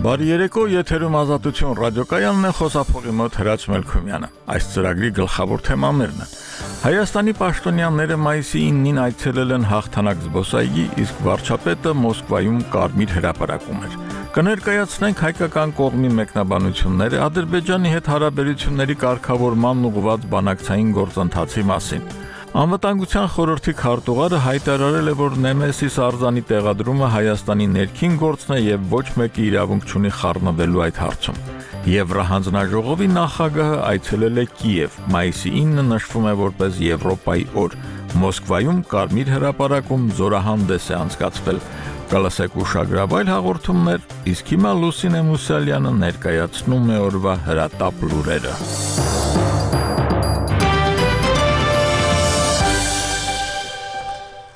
Բարի երեկո, եթերում Ազատություն ռադիոկայանն է, խոսափողի մոտ Հրաչ Մելքումյանը։ Այս ծրագրի գլխավոր թեմաներն են։ Հայաստանի պաշտոնյաները մայիսի 9-ին այցելել են հաղթանակ զբոսայգի, իսկ վարչապետը Մոսկվայում կարմիր հրապարակում էր։ Կներկայացնենք հայկական կողմի մեկնաբանությունները Ադրբեջանի հետ հարաբերությունների կարգավորմանն ուղղված բանակցային գործընթացի մասին։ Անվտանգության խորհրդի քարտուղարը հայտարարել է, որ Նեմեսիս արձանի տեղադրումը Հայաստանի ներքին գործն է եւ ոչ մեկի իրավունք չունի խառնվելու այդ հարցում։ Եվրահանձնաժողովի նախագահը այցելել է Կիև, մայիսի 9-ը նշվում է որպես Եվրոպայի օր։ Մոսկվայում կարմիր հրապարակում զորահանդես է անցկացվել։ Կլսեք ուշագրավայր հաղորդումներ, իսկ հիմա Լուսինե Մուսալյանը ներկայացնում է օրվա հրատապ լուրերը։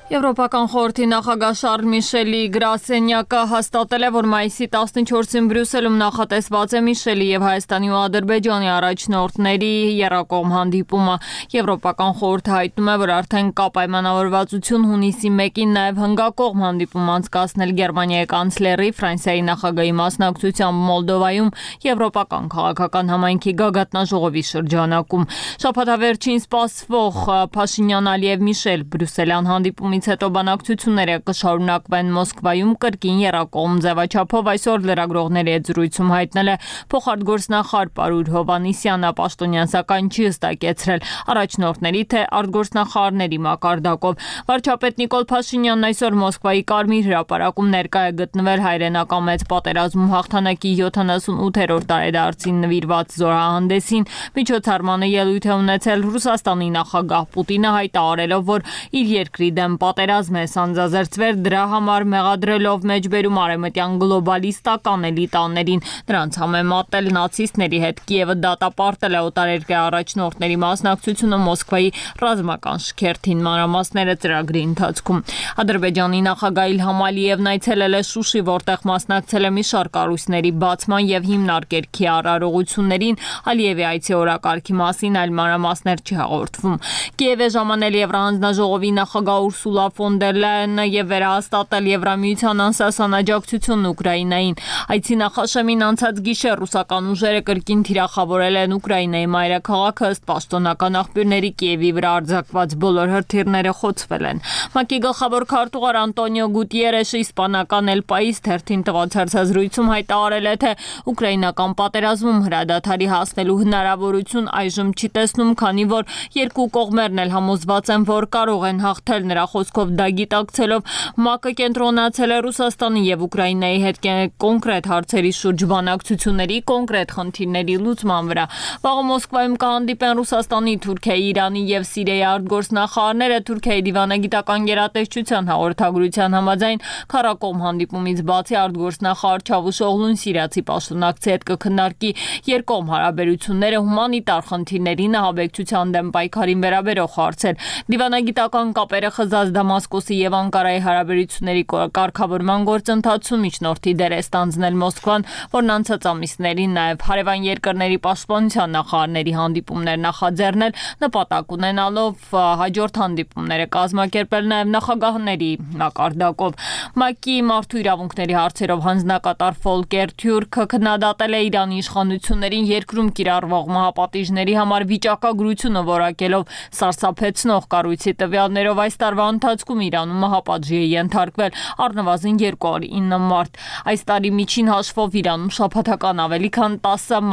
Եվրոպական խորհրդի նախագահ Շարլ Միշելի գրասենյակը հաստատել է, որ մայիսի 14-ին Բրյուսելում նախատեսված է Միշելի եւ Հայաստանի ու Ադրբեջանի առաջնորդների եռակողմ հանդիպումը։ Եվրոպական խորհուրդը հայտնում է, որ արդեն կա պայմանավորվածություն հունիսի 1-ին նաեւ հնգակողմ հանդիպում անցկացնել Գերմանիայի կանցլերի, Ֆրանսիայի նախագահի մասնակցությամբ Մոլդովայում Եվրոպական քաղաքական համայնքի գագաթնաժողովի շրջանակում։ Շաբաթավերջին սպասվող Փաշինյան-Ալիև Միշել Բրյուսելյան հանդիպումից հետո բանակցությունները կշարունակվեն Մոսկվայում կրկին եռակողմ ձևաչափով այսօր լրագրողների հետ զրույցում հայտնել է փոխարտգործնախարար Պարուր Հովհաննիսյանը, պաշտոնյան սակայն չի հստակեցրել առաջնորդների թե արտգործնախարարների մակարդակով։ Վարչապետ Նիկոլ Փաշինյանն այսօր Մոսկվայի Կարմիր հրապարակում ներկա է գտնվել հայրենական մեծ պատերազմում հաղթանակի 78-րդ տարեդարձին նվիրված զորահանդեսին։ Միջոցառմանը ելույթ է ունեցել Ռուսաստանի նախագահ Պուտինը, հայտարարելով, որ իր երկրի դեմ պատերազմ է սանձազերծվել, դրա համար մեղադրելով մեջբերում արևմտյան գլոբալիստական էլիտաներին, նրանց համեմատել նացիստների հետ։ Կիևը դատապարտել է օտարերկրյա առաջնորդների մասնակցությունը Մոսկվայի ռազմական շքերթին, մանրամասները ծրագրի ընթացքում։ Ադրբեջանի նախագահ Իլհամ Ալիևն այցելել է Շուշի, որտեղ մասնակցել է մի շարք կառույցների բացման եւ հիմնարկերքի արարողություններին։ Ալիևի այցի օրակարգի մասին այլ մանրամասներ չհաղորդվում։ Կիև է ժամանել Եվրահանձնաժողովի նախագահ Ուրսուլա ֆոն դեր Լայենը եւ վերահաստատել Եվրամիության անսասան աջակցությունն Ուկրաինային։ Այցի նախաշեմին անցած գիշեր ռուսական ուժերը կրկին թիրախավորել են Ուկրաինայի մայրաքաղաքը, ըստ պաշտոնական աղբյուրների Կիևի վրա արձակված բոլոր հրթիռները խոցվել են։ ՄԱԿ-ի գլխավոր քարտուղար Անտոնիո Գուտիերեշը իսպանական El País թերթին տված հարցազրույցում հայտարարել է, թե ուկրաինական պատերազմում հրադադարի հասնելու հնարավորություն այժմ չի տեսնում, քանի որ երկու կողմերն էլ համոզված են, որ կարող են հաղթել։ Նրա խոսքով դա գիտակցելով ՄԱԿ-ը կենտրոնացել է Ռուսաստանի եւ Ուկրաինայի հետ կոնկրետ հարցերի շուրջ բանակցությունների, կոնկրետ խնդիրների լուծման վրա։ Վաղը Մոսկվայում կհանդիպեն Ռուսաստանի, Թուրքիայի, Իրանի եւ Սիրիայի արտգործնախարարները։ Թուրքիայի դիվանագիտական գերատեսչության հաղորդագրության համաձայն քառակողմ հանդիպումից բացի արտգործնախարար Չավուշօղլուն սիրիացի պաշտոնակցի հետ կքննարկի երկկողմ հարաբերությունները, հումանիտար խնդիրներին, ահաբեկչության դեմ պայքարին վերաբերող հարցեր։ Դիվանագիտական կապերը խզած Դամասկոսի եւ Անկարայի հարաբերությունների կարգավորման գործընթացում միջնորդի դեր է ստանձնել Մոսկվան, որն անցած ամիսներին նաեւ հարևան երկրների պաշտպանության նախարարների հանդիպումներ նախաձեռնել, նպատակ ունենալով հաջորդ հանդիպումները կազմակերպել նաեւ նախագահների մակարդակով։ ՄԱԿ-ի մարդու իրավունքների հարցերով հանձնակատար Ֆոլկեր Թյուրքը քննադատել է Իրանի իշխանություններին երկրում կիրառվող մահապատիժների համար վիճակագրությունը որակելով սարսափեցնող կառույցի տվյալներով այս տարվա ընթացքում Իրանում մահապատժի է ենթարկվել առնվազն 209 մարդ։ Այս տարի միջին հաշվով Իրանում շաբաթական ավելի քան 10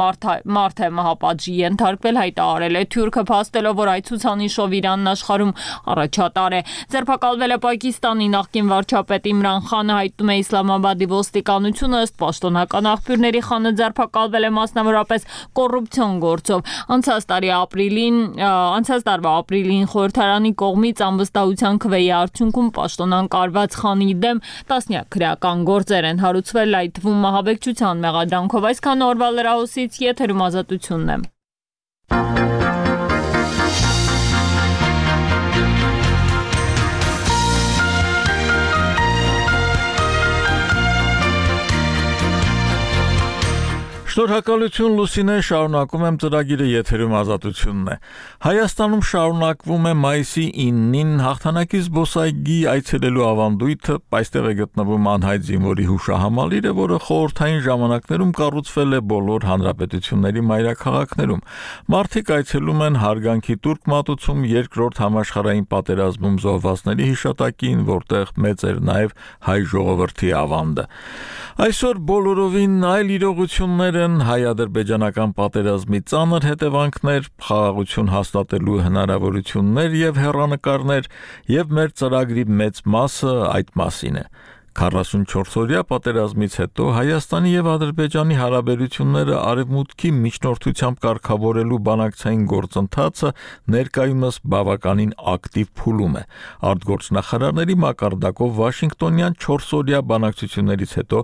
մարդ է մահապատժի ենթարկվել, հայտարարել է Թյուրքը, փաստելով, որ այդ ցուցանիշով Իրանն աշխարհում առաջատար է։ Ձերբակալվել է Պակիստանի նախկին վարչապետ Իմրան Խանը, հայտնում է Իսլամաբադի ոստիկանությունը, ըստ պաշտոնական աղբյուրների Խանը ձերբակալվել է մասնավորապես կոռուպցիոն գործով։ Անցած տարվա ապրիլին խորհրդարանի կողմից անվստահության քվեի արդյունքում պաշտոնանկարված Խանի դեմ տասնյակ քրեական գործեր են հարուցվել, այդ թվում մահաբեկչության մեղադրանքով։ Այսքան օրվա լրահոսից եթերում Ազատությունն է։ Շնորհակալություն Լուսինե, շարունակում եմ ծրագիրը, եթերում Ազատությունն է։ Հայաստանում շարունակվում է մայիսի 9-ին հաղթանակի զբոսայգի այցելելու ավանդույթը, այստեղ է գտնվում անհայտ զինվորի հուշահամալիրը, որը խորհրդային ժամանակներում կառուցվել է բոլոր հանրապետությունների մայրաքաղաքներում։ Մարդիկ այցելում են հարգանքի տուրք մատուցում Երկրորդ համաշխարհային պատերազմում զոհվածների հիշատակին, որտեղ մեծ էր նաև հայ ժողովրդի ավանդը։ Այսօր բոլորովին այլ իրողություններ են, հայ-ադրբեջանական պատերազմի ծանր հետևանքներ, խաղաղություն հաստատելու հնարավորություններ եւ հեռանկարներ, եւ մեր ծրագրի մեծ մասը այդ մասին է։ 44-օրյա պատերազմից հետո Հայաստանի եւ Ադրբեջանի հարաբերությունները արևմուտքի միջնորդությամբ կարգավորելու բանակցային գործընթացը ներկայումս բավականին ակտիվ փուլում է։ Արտգործնախարարների մակարդակով Վաշինգտոնյան 4-օրյա բանակցություններից հետո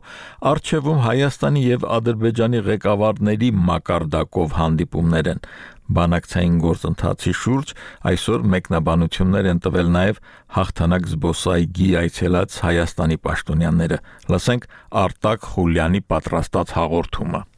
արչևում Հայաստանի եւ Ադրբեջանի ղեկավարների մակարդակով հանդիպումներ են։ Բանակցային գործընթացի շուրջ այսօր մեկնաբանություններ են տվել նաև հաղթանակ զբոսայգի այցելած Հայաստանի պաշտոնյաները։ Լսենք Արտակ Խուլյանի պատրաստած հաղորդումը։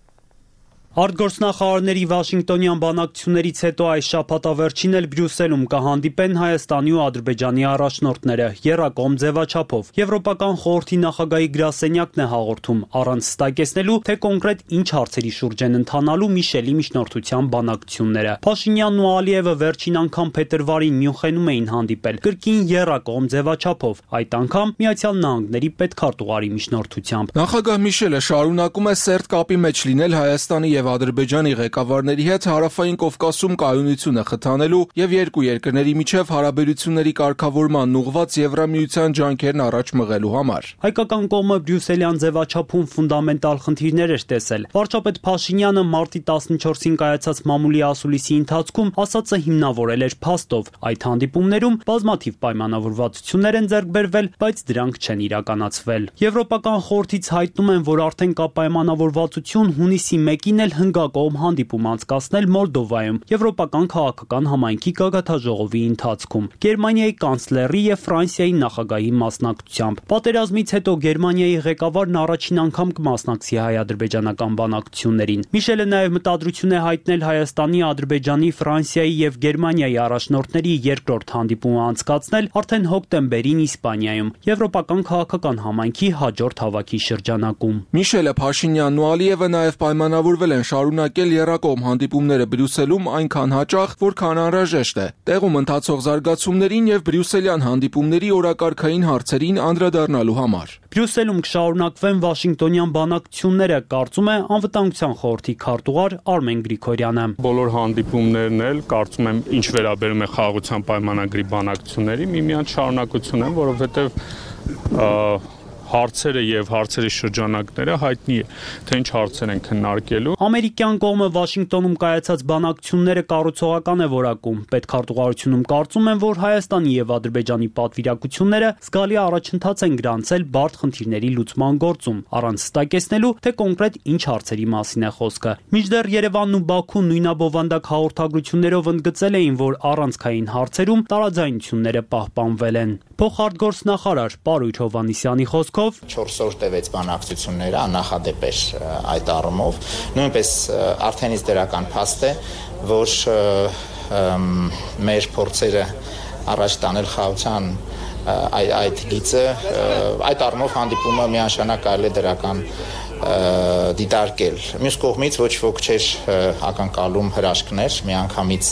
Արտգործնախարարների Վաշինգտոնյան բանակցություններից հետո այս շաբաթավերջին էլ Բրյուսելում կհանդիպեն Հայաստանի ու Ադրբեջանի առաջնորդները եռակողմ ձևաչափով։ Եվրոպական խորհրդի նախագահի գրասենյակն է հաղորդում, առանց ստակեցնելու, թե կոնկրետ ինչ հարցերի շուրջ են ընթանալու Միշելի միջնորդության բանակցությունները։ Փաշինյանն ու Ալիևը վերջին անգամ փետրվարին Մյունխենում էին հանդիպել, կրկին եռակողմ ձևաչափով, այդ անգամ Միացյալ Նահանգների պետքարտուղարի միջնորդությամբ։ Նախագահ Միշելը շարունակում է սերտ կապի մեջ լինել Հայաստանի եւ Ադրբեջանի ղեկավարների հետ Հարավային Կովկասում կայունությունը խթանելու եւ երկու երկրների միջև հարաբերությունների կարգավորման ուղղված Եվրամիության ջանքերն առաջ մղելու համար։ Հայկական կողմը բրյուսելյան ձևաչափում ֆունդամենտալ խնդիրներ էր տեսել։ Վարչապետ Փաշինյանը մարտի 14-ին կայացած մամուլի ասուլիսի ընթացքում ասածը հիմնավորել էր փաստով։ Այդ հանդիպումներում բազմաթիվ պայմանավորվածություններ են ձեռք բերվել, բայց դրանք չեն իրականացվել։ Եվրոպական խորհրդից հայտնում են, որ արդեն կա պայմանավորվածություն հունիսի 1-ին հնգակողմ հանդիպում անցկացնել Մոլդովայում Եվրոպական քաղաքական համայնքի գագաթաժողովի ընթացքում Գերմանիայի կանցլերի եւ Ֆրանսիայի նախագահի մասնակցությամբ։ Պատերազմից հետո Գերմանիայի ղեկավարն առաջին անգամ կմասնակցի հայ-ադրբեջանական բանակցություններին։ Միշելը նաեւ մտադրություն է հայտնել Հայաստանի, Ադրբեջանի, Ֆրանսիայի եւ Գերմանիայի առաջնորդների երկրորդ հանդիպումը անցկացնել արդեն հոկտեմբերին Իսպանիայում Եվրոպական քաղաքական համայնքի հաջորդ հավաքի շրջանակում։ Միշելը, Փաշինյանն ու Ալիևը նաեւ պայմանավորվել են շարունակել եռակողմ հանդիպումները Բրյուսելում այնքան հաճախ, որքան անհրաժեշտ է, տեղում ընթացող զարգացումներին եւ բրյուսելյան հանդիպումների օրակարգային հարցերին անդրադառնալու համար։ Բրյուսելում կշարունակվեն Վաշինգտոնյան բանակցությունները, կարծում է Անվտանգության խորհրդի քարտուղար Արմեն Գրիգորյանը։ Բոլոր հանդիպումներն էլ կարծում եմ ինչ վերաբերում է խաղաղության պայմանագրի բանակցությունների միմյանց շարունակություն են, որովհետեւ հարցերը եւ հարցերի շրջանակները հայտնի է, թե ինչ հարցեր են քննարկելու։ Ամերիկյան կողմը Վաշինգտոնում կայացած բանակցությունները կառուցողական է որակում։ Պետքարտուղարությունում կարծում են, որ Հայաստանի եւ Ադրբեջանի պատվիրակությունները զգալի առաջընթաց են գրանցել բարդ խնդիրների լուծման գործում, առանց ստակեցնելու, թե կոնկրետ ինչ հարցերի մասին է խոսքը։ Մինչդեռ Երևանն ու Բաքուն նույնաբովանդակ հաղորդագրություններով ընդգծել էին, որ առանցքային հարցերում տարաձայնությունները պահպանվել են։ Փոխարտգործնախարար Պարույր Հովհաննիսյանի խոսքով 4 օր տևեց բանակցությունները, աննախադեպ էր այդ առումով։ Նույնպես արդենից դրական փաստ է, որ մեր փորձերը առաջ տանել խաղաղության այդ գիծը, այդ առումով հանդիպումը միանշանակ կարելի է դրական դիտարկել։ Մյուս կողմից ոչ ոք չէր ակնկալում հրաշքներ, միանգամից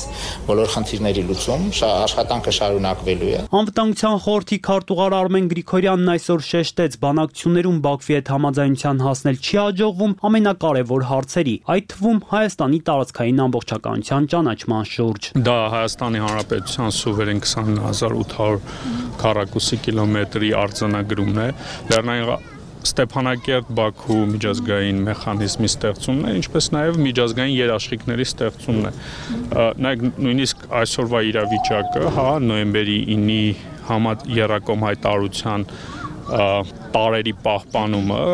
բոլոր խնդիրների լուծում, աշխատանքը շարունակվելու է։ Անվտանգության խորհրդի քարտուղար Արմեն Գրիգորյանն այսօր շեշտեց, բանակցություններում Բաքվի հետ համաձայնության հասնել չի հաջողվում ամենակարևոր հարցերի, այդ թվում Հայաստանի տարածքային ամբողջականության ճանաչման շուրջ։ Դա Հայաստանի Հանրապետության սուվերեն 20800 քառակուսի կիլոմետրի արձանագրումն է, Լեռնային Ստեփանակերտ-Բաքու միջազգային մեխանիզմի ստեղծումն է, ինչպես նաև միջազգային երաշխիքների ստեղծումն է։ Նայեք, նույնիսկ այսօրվա իրավիճակը, նոյեմբերի 9-ի եռակողմ հայտարարության տարերի պահպանումը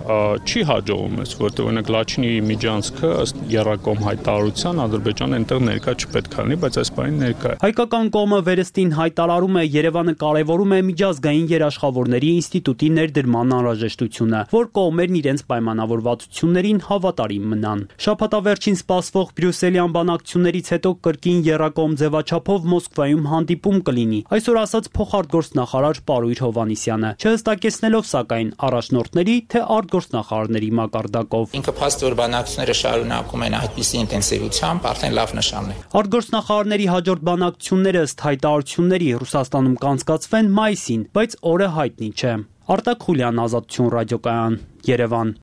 չի հաջողում ես, որտեղ օրինակ Լաչինի միջանցքը ըստ Երակոմ հայտարարության Ադրբեջանը այնտեղ ներկա չպետք է լինի, բայց այս բանի ներկա է։ Հայկական կողմը վերստին հայտարարում է, Երևանը կարևորում է միջազգային երաշխավորների ինստիտուտի ներդրման անհրաժեշտությունը, որ կողմերն իրենց պայմանավորվածություններին հավատարիմ մնան։ Շաբաթավերջին սպասվող բրյուսելյան բանակցություններից հետո կրկին Երակոմ ձևաչափով Մոսկվայում հանդիպում կլինի, այսօր ասաց փոխարտգործնախարար Պարույր Հովհաննիսյանը, չհստակեցնելով սակայն առաջնորդների թե արտգործնախարարների մակարդակով։ Ինքը փաստ որ բանակցությունները շարունակում են այդպիսի ինտենսիվությամբ, արդեն լավ նշան է։ Արտգործնախարարների հաջորդ բանակցությունները ըստ հայտարարությունների Ռուսաստանում կանցկացվեն մայիսին, բայց օրը հայտնի չէ։ Արտակ Խուլյան, Ազատություն ռադիոկայան, Երևան։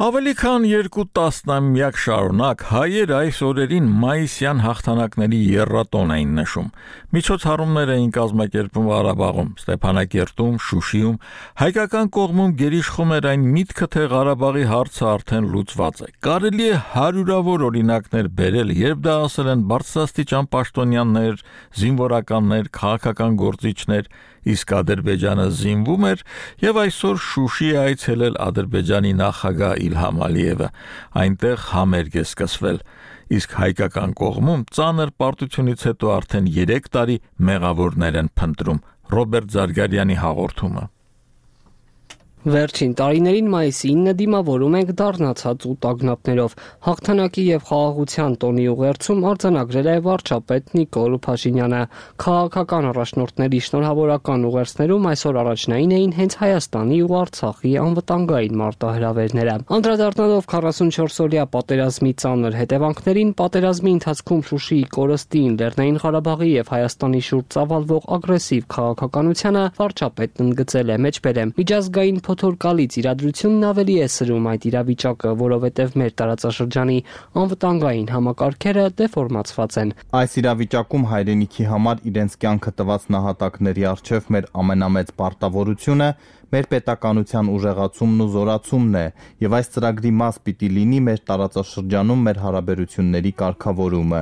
Ավելի քան 2 տասնամյակ շարունակ հայեր այս օրերին մայիսյան հաղթանակների եռատոն էին նշում։ Միջոցառումներ էին կազմակերպում Ղարաբաղում, Ստեփանակերտում, Շուշիում, հայկական կողմում գերիշխում էր այն միտքը, թե Ղարաբաղի հարցը արդեն լուծված է։ Կարելի է հարյուրավոր օրինակներ բերել, երբ դա ասել են բարձրաստիճան պաշտոնյաներ, զինվորականներ, քաղաքական գործիչներ, իսկ Ադրբեջանը զինվում էր եւ այսօր Շուշի է այցելել Ադրբեջանի նախագահ Իլհամ Ալիևը, այնտեղ համերգ է սկսվել, իսկ հայկական կողմում ծանր պարտությունից հետո արդեն 3 տարի մեղավորներ են փնտրում։ Ռոբերտ Զարգարյանի հաղորդումը։ Վերջին տարիներին մայիսի 9-ը դիմավորում ենք դառնացած ու տագնապներով։ Հաղթանակի եւ խաղաղության տոնի ուղերձում արձանագրել է վարչապետ Նիկոլ Փաշինյանը։ Քաղաքական առաջնորդների շնորհավորական ուղերձներում այսօր առաջնային էին հենց Հայաստանի ու Արցախի անվտանգային մարտահրավերները։ Անդրադառնալով 44-օրյա պատերազմի ծանր հետևանքներին, պատերազմի ընթացքում Շուշիի կորստին, Լեռնային Ղարաբաղի եւ Հայաստանի շուրջ ծավալվող ագրեսիվ քաղաքականությանը, վարչապետն ընդգծել է մեջբերեմ միջազգային փոթորկալից իրադրությունն ավելի է սրում այդ իրավիճակը, որովհետև մեր տարածաշրջանի անվտանգային համակարգերը դեֆորմացված են։ Այս իրավիճակում հայրենիքի համար իրենց կյանքը տված նահատակների առջև մեր ամենամեծ պարտավորությունը մեր պետականության ուժեղացումն ու զորացումն է, եւ այս ծրագրի մաս պիտի լինի մեր տարածաշրջանում մեր հարաբերությունների կարգավորումը։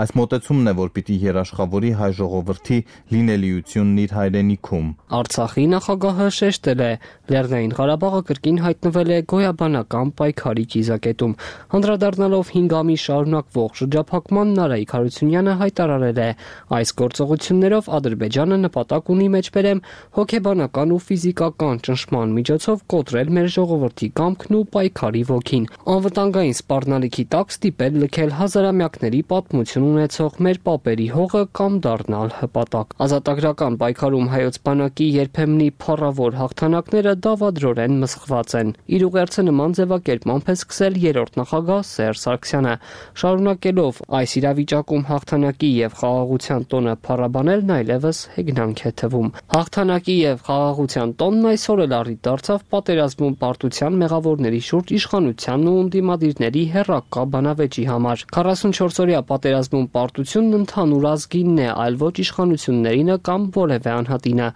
Այս մոտեցումն է, որ պիտի երաշխավորի հայ ժողովրդի լինելիությունն իր հայրենիքում։ Արցախի նախագահը շեշտել է, Լեռնային Ղարաբաղը կրկին հայտնվել է գոյաբանական պայքարի կիզակետում։ Անդրադառնալով 5 ամիս շարունակվող շրջափակման, Նարայք Հարությունյանը հայտարարել է, այս գործողություններով Ադրբեջանը նպատակ ունի մեջբերեմ հոգեբանական ու ֆիզիկական ճնշման միջոցով կոտրել մեր ժողովրդի կամքն ու պայքարի ոգին, անվտանգային սպառնալիքի տակ ստիպել լքել հազարամյակների պատմություն ունեցող մեր պապերի հողը կամ դառնալ հպատակ։ Ազատագրական պայքարում հայոց բանակի երբեմնի փառավոր հաղթանակները դավադրորեն մսխված են։ Իր ուղերձը նման ձևակերպմամբ է սկսել երրորդ նախագահ Սերժ Սարգսյանը, շարունակելով այս իրավիճակում հաղթանակի եւ խաղաղության տոնը փառաբանելն այլևս հեգնանք է թվում։ Հաղթանակի եւ խաղաղության տոնն այսօր էլ առիթ դարձավ պատերազմում պարտության մեղավորների շուրջ իշխանությանն ու ընդդիմադիրների հեռակա բանավեճի համար։ 44-օրյա պատերազմում պարտությունն ընդհանուր ազգինն է, այլ ոչ իշխանություններինը կամ որևէ անհատինը,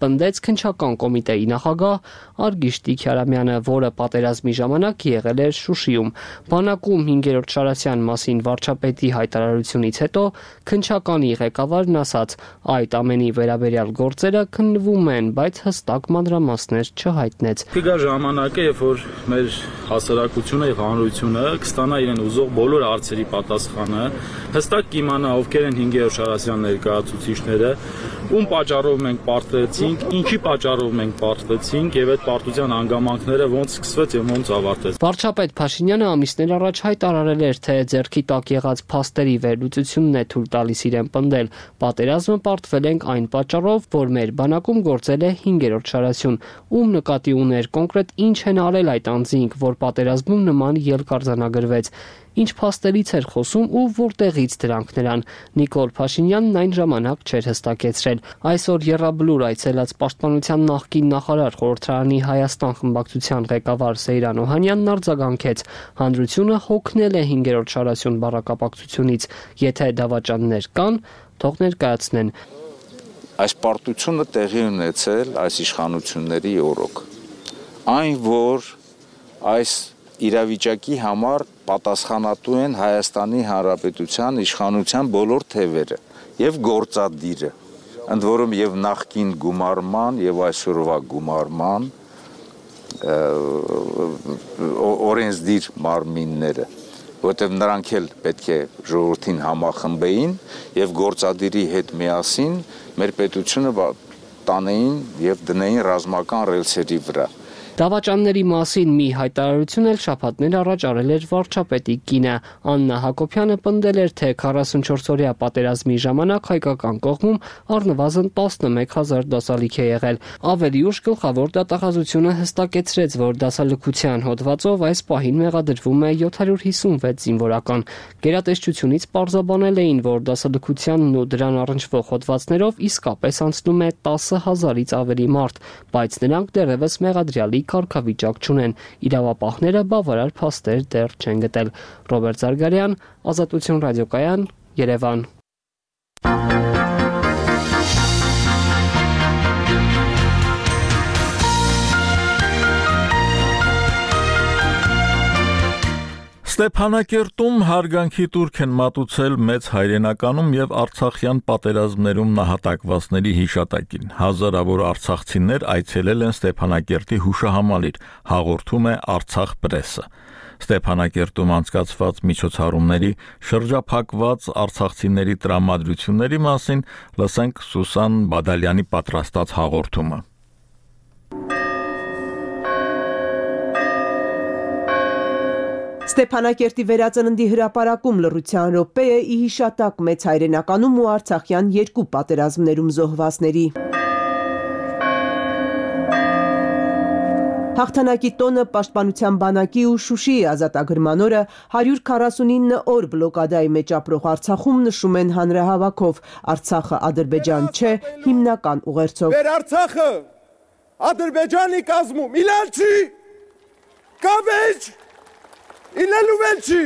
պնդեց քննչական կոմիտեի նախագահ Արգիշտի Քյարամյանը, որը պատերազմի ժամանակ եղել էր Շուշիում։ Բանակում 5-րդ Շարասյան մասին վարչապետի հայտարարությունից հետո քննչականի ղեկավարն ասաց. այդ ամենի վերաբերյալ գործերը քննվում են, բայց հստակ մանրամասներ չհայտնեց։ Կգա ժամանակը, երբ որ մեր հասարակությունը եւ հանրությունը կստանա իրեն ուզող բոլոր հարցերի պատասխանը, հստակ կիմանա ովքեր են 5-րդ Շարասյան ներկայացուցիչները, ում պատճառով մենք պարտվեցինք, ինչի պատճառով մենք պարտվեցինք եւ այդ պարտության հանգամանքները ոնց սկսվեց եւ ոնց ավարտեց։ Վարչապետ Փաշինյանը ամիսներ առաջ հայտարարել էր, թե ձեռքի տակ եղած փաստերի վերլուծությունն է թույլ տալիս իրեն պնդել. պատերազմը պարտվել ենք այն պատճառով, որ մեր բանակում գործել է 5-րդ Շարասյուն, ում նկատի ուներ կոնկրետ ինչ են արել այդ անձինք, որ պատերազմում նման ելք արձանագրվեց, ինչ փաստերից էր խոսում ու որտեղից դրանք նրան։ Նիկոլ Փաշինյանն այն ժամանակ չէր հստակեցրել։ Այսօր Եռաբլուր այցելած պաշտպանության նախկին նախարար, խորհրդարանի Հայաստան խմբակցության ղեկավար Սեյրան Օհանյանն արձագանքեց. հանրությունը հոգնել է 5-րդ Շարասյուն բառակապակցությունից, եթե դավաճաններ կան, թող ներկայացնեն։ Այս պարտությունը տեղի ունեցել այս իշխանությունների օրոք։ Այն, որ այս իրավիճակի համար պատասխանատու են Հայաստանի Հանրապետության իշխանության բոլոր թևերը եւ գործադիրը, ընդ որում եւ նախկին գումարման եւ այսօրվա գումարման օրենսդիր մարմինները, որտեղ նրանք էլ պետք է ժողովրդին համախմբեին եւ գործադիրի հետ միասին մեր պետությունը տանեին եւ դնեին ռազմական ռելսերի վրա։ Դավաճանների մասին մի հայտարարություն էլ շաբաթներ առաջ արել էր վարչապետի կինը։ Աննա Հակոբյանը պնդել էր, թե 44-օրյա պատերազմի ժամանակ հայկական կողմում առնվազն 11,000 դասալիք է եղել։ Ավելի ուշ գլխավոր դատախազությունը հստակեցրեց, որ դասալքության հոդվածով այս պահին մեղադրվում է 756 զինվորական։ Գերատեսչությունից պարզաբանել էին, որ դասալքությանն ու դրան առնչվող հոդվածներով իսկապես անցնում է 10,000-ից ավելի մարդ, բայց նրանք դեռևս մեղադրյալի կարգավիճակ չունեն։ Իրավապահները բավարար փաստեր դեռ չեն գտել։ Ռոբերտ Զարգարյան, Ազատություն ռադիոկայան, Երևան։ Ստեփանակերտում հարգանքի տուրք են մատուցել մեծ հայրենականում եւ արցախյան պատերազմներում նահատակվածների հիշատակին։ Հազարավոր արցախցիներ այցելել են Ստեփանակերտի հուշահամալիր, հաղորդում է Արցախ պրեսը։ Ստեփանակերտում անցկացված միջոցառումների շրջափակված արցախցիների տրամադրությունների մասին լսենք Սուսան Բադալյանի պատրաստած հաղորդումը։ Ստեփանակերտի վերածննդի հրապարակում լռության րոպեը ի հիշատակ մեծ հայրենականում ու արցախյան երկու պատերազմներում զոհվածների։ Հաղթանակի տոնը պաշտպանության բանակի ու Շուշիի ազատագրման օրը 149 օր բլոկադայի մեջ ապրող Արցախում նշում են հանրահավաքով։ Արցախը Ադրբեջան չէ, հիմնական ուղերձով։ Մեր Արցախը Ադրբեջանի կազմում իլալ չի, կավեջ Իլելուվելչի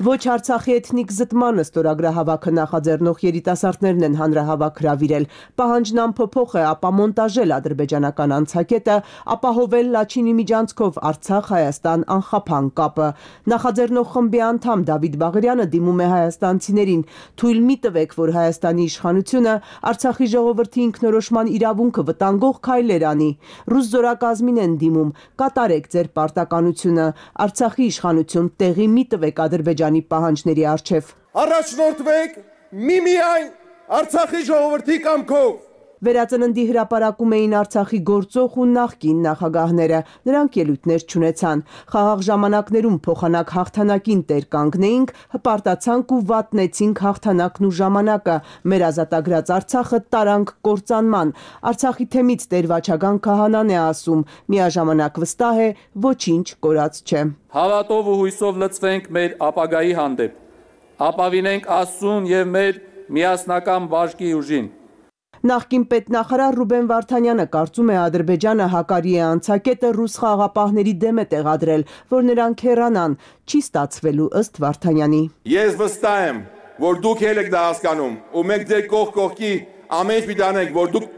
Ոչ Արցախի էթնիկ զտմանը ստորագրահավաքը նախաձեռնող երիտասարդներն են հանրահավաք հրավիրել։ Պահանջն ամփոփող է ապա մոնտաժել ադրբեջանական անցակետը, ապահովել Լաչինի միջանցքով Արցախ-Հայաստան անխափան կապը։ Նախաձեռնող խմբի անդամ Դավիթ Բաղարյանը դիմում է հայաստանցիներին. թույլ մի տվեք, որ Հայաստանի իշխանությունը Արցախի ժողովրդի ինքնորոշման իրավունքը վտանգող քայլեր անի։ Ռուս զորակազմին են դիմում. կատարեք ձեր պարտականությունը։ Արցախի իշխանություն տեղի մի տվեք Ադրբեջանի պահանջների առջև։ Առաջնորդվեք միմիայն Արցախի ժողովրդի կամքով։ Վերածննդի հրապարակում էին Արցախի գործող ու նախկին նախագահները, նրանք ելույթներ չունեցան։ Խաղաղ ժամանակներում փոխանակ հաղթանակին տեր կանգնեինք, հպարտացանք ու վատնեցինք հաղթանակն ու ժամանակը, մեր ազատագրած Արցախը տարանք կործանման։ Արցախի թեմից Տեր Վաչագան Քահանան է ասում, միաժամանակ վստահ է, ոչինչ կորած չէ։ Հավատով ու հույսով լծվենք մեր ապագայի հանդեպ, ապավինենք Աստծուն եւ մեր միասնական բաժկի ուժին։ Նախկին պետնախարար Ռուբեն Վարդանյանը կարծում է Ադրբեջանը հակարի է անցակետը ռուս խաղաղապահների դեմ է տեղադրել, որ նրանք հեռանան, չի ստացվելու ըստ Վարդանյանի։ Ես վստահ եմ, որ դուք եք դա հասկանում, ու մենք ձեր կողքի ամեն ինչ պիտի անենք, որ դուք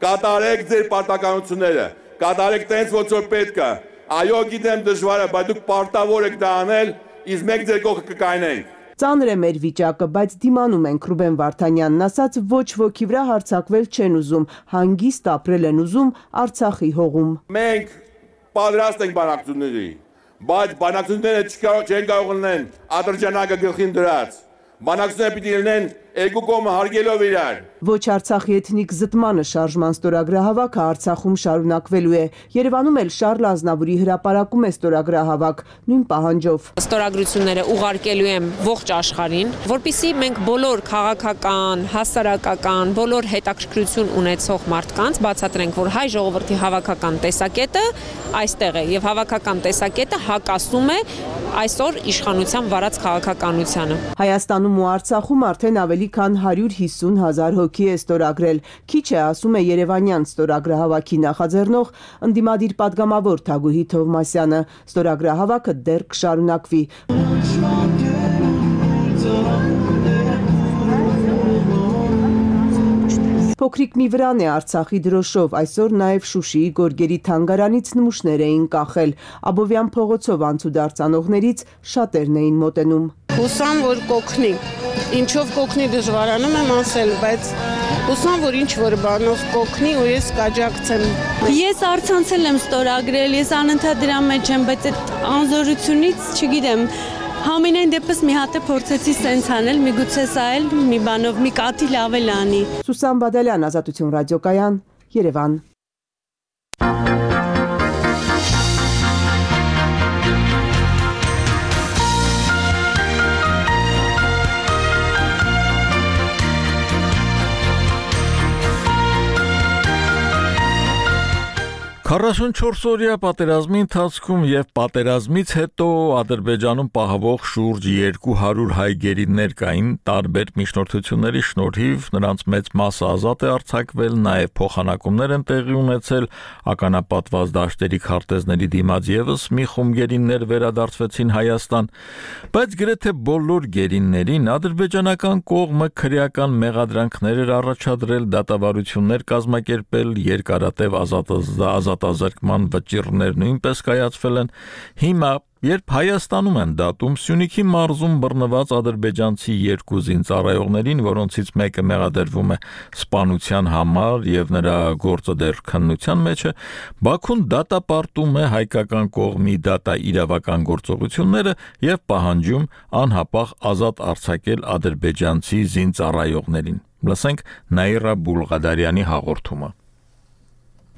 կատարեք ձեր պարտականությունները, կատարեք տենց ոնց որ պետք է։ Այո, գիտեմ դժվար է, բայց դուք պարտավոր եք դա անել, իսկ մենք ձեր կողքը կկայնենք։ Ծանր է մեր վիճակը, բայց դիմանում ենք, Ռուբեն Վարդանյանն ասաց, ոչ ոքի վրա հարձակվել չեն ուզում, հանգիստ ապրել են ուզում Արցախի հողում։ Մենք պատրաստ ենք բանակցությունների, բայց բանակցությունները չեն կարող լինեն Ադրբեջանը գլխին դրած։ Բանակցությունները պիտի լինեն երկու կողմը հարգելով իրար։ Ոչ Արցախի էթնիկ զտմանը շարժման ստորագրահավաքը Արցախում շարունակվելու է։ Երևանում էլ Շարլ Ազնավուրի հրապարակում է ստորագրահավաք նույն պահանջով։ Ստորագրությունները ուղարկելու եմ ողջ աշխարհին, որpիսի մենք բոլոր քաղաքական, հասարակական, բոլոր հետաքրքրություն ունեցող մարդկանց բացատրենք, որ հայ ժողովրդի հավաքական տեսակետը այստեղ է եւ հավաքական տեսակետը հակասում է այսօր իշխանության վարած քաղաքականությանը։ Հայաստանում ու Արցախում արդեն ավելի քան 150,000 հոգի է ստորագրել։ Քիչ է, ասում է Երևանյան ստորագրահավաքի նախաձեռնող ընդդիմադիր падգամավոր Թագուհի Թովմասյանը։ Ստորագրահավաքը դեռ կշարունակվի։ Փոքրիկ մի վրան է Արցախի դրոշով, այսօր նաև Շուշիի գորգերի թանգարանից նմուշներ էին կախել։ Աբովյան փողոցով անցուդարձ անողներից շատերն էին մոտենում։ Հուսամ, որ կօգնի։ Ինչով կօգնի դժվարանում եմ ասել, բայց հուսամ, որ ինչ որ բանով կօգնի ու ես կաջակցեմ։ Ես առցանցել եմ ստորագրել, ես անընդհատ դրա մեջ եմ, բայց այդ անզորությունից չգիտեմ։ Համենայն դեպս մի հատ է փորձեցի սենց անել, միգուցե սա էլ մի բանով մի կաթիլ ավել անի։ Սուսան Բադալյան, Ազատություն ռադիոկայան, Երևան։ Քառասունչորսօրյա պատերազմի ընթացքում եւ պատերազմից հետո Ադրբեջանում պահվող շուրջ 200 հայ գերիներ կային տարբեր միջնորդությունների շնորհիվ նրանց մեծ մասը ազատ է արձակվել, նաեւ փոխանակումներ են տեղի ունեցել, ականապատված դաշտերի քարտեզների դիմաց եւս մի խումբ գերիներ վերադարձվեցին Հայաստան, բայց գրեթե բոլոր գերիներին ադրբեջանական կողմը քրեական մեղադրանքներ էր առաջադրել, դատավարություններ կազմակերպել, երկարատև ազատազրկման վճիռներ նույնպես կայացվել են։ Հիմա, երբ Հայաստանում են դատում Սյունիքի մարզում բռնված ադրբեջանցի 2 զինծառայողներին, որոնցից մեկը մեղադրվում է սպանության համար եւ նրա գործը դեռ քննության մեջ է, Բաքուն դատապարտում է հայկական կողմի դատաիրավական գործողությունները եւ պահանջում անհապաղ ազատ արձակել ադրբեջանցի զինծառայողներին։ Լսենք Նաիրա Բուլղադարյանի հաղորդումը։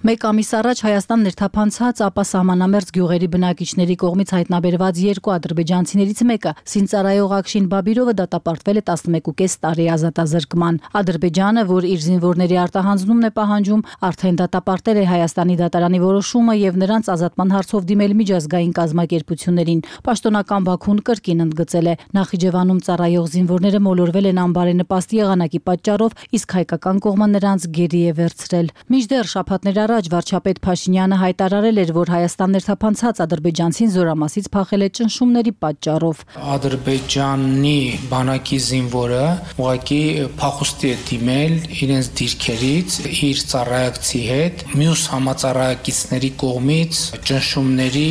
Մեկ ամիս առաջ Հայաստան ներթափանցած, ապա սահմանամերձ գյուղերի բնակիչների կողմից հայտնաբերված 2 ադրբեջանցիներից մեկը, զինծառայող Ակշին Բաբիրովը դատապարտվել է 11.5 տարի ազատազրկման։ Ադրբեջանը, որ իր զինվորների արտահանձնումն է պահանջում, արդեն դատապարտել է Հայաստանի դատարանի որոշումը եւ նրանց ազատման հարցով դիմել միջազգային կազմակերպություններին։ Պաշտոնական Բաքուն կրկին ընդգծել է, Նախիջևանում ծառայող զինվորները մոլորվել են անբարենպաստ եղանակի պատճառով, իսկ հայկական կողմը նրանց գերի է վերցրել։ Մինչդեռ շաբաթներ առաջ վարչապետ Փաշինյանը հայտարարել էր, որ Հայաստան ներթափանցած ադրբեջանցին զորամասից փախել է ճնշումների պատճառով։ Ադրբեջանի բանակի զինվորը ուղղակի փախուստի է դիմել իրենց դիրքերից իր ծառայակցի հետ, մյուս համածառայակիցների կողմից ճնշումների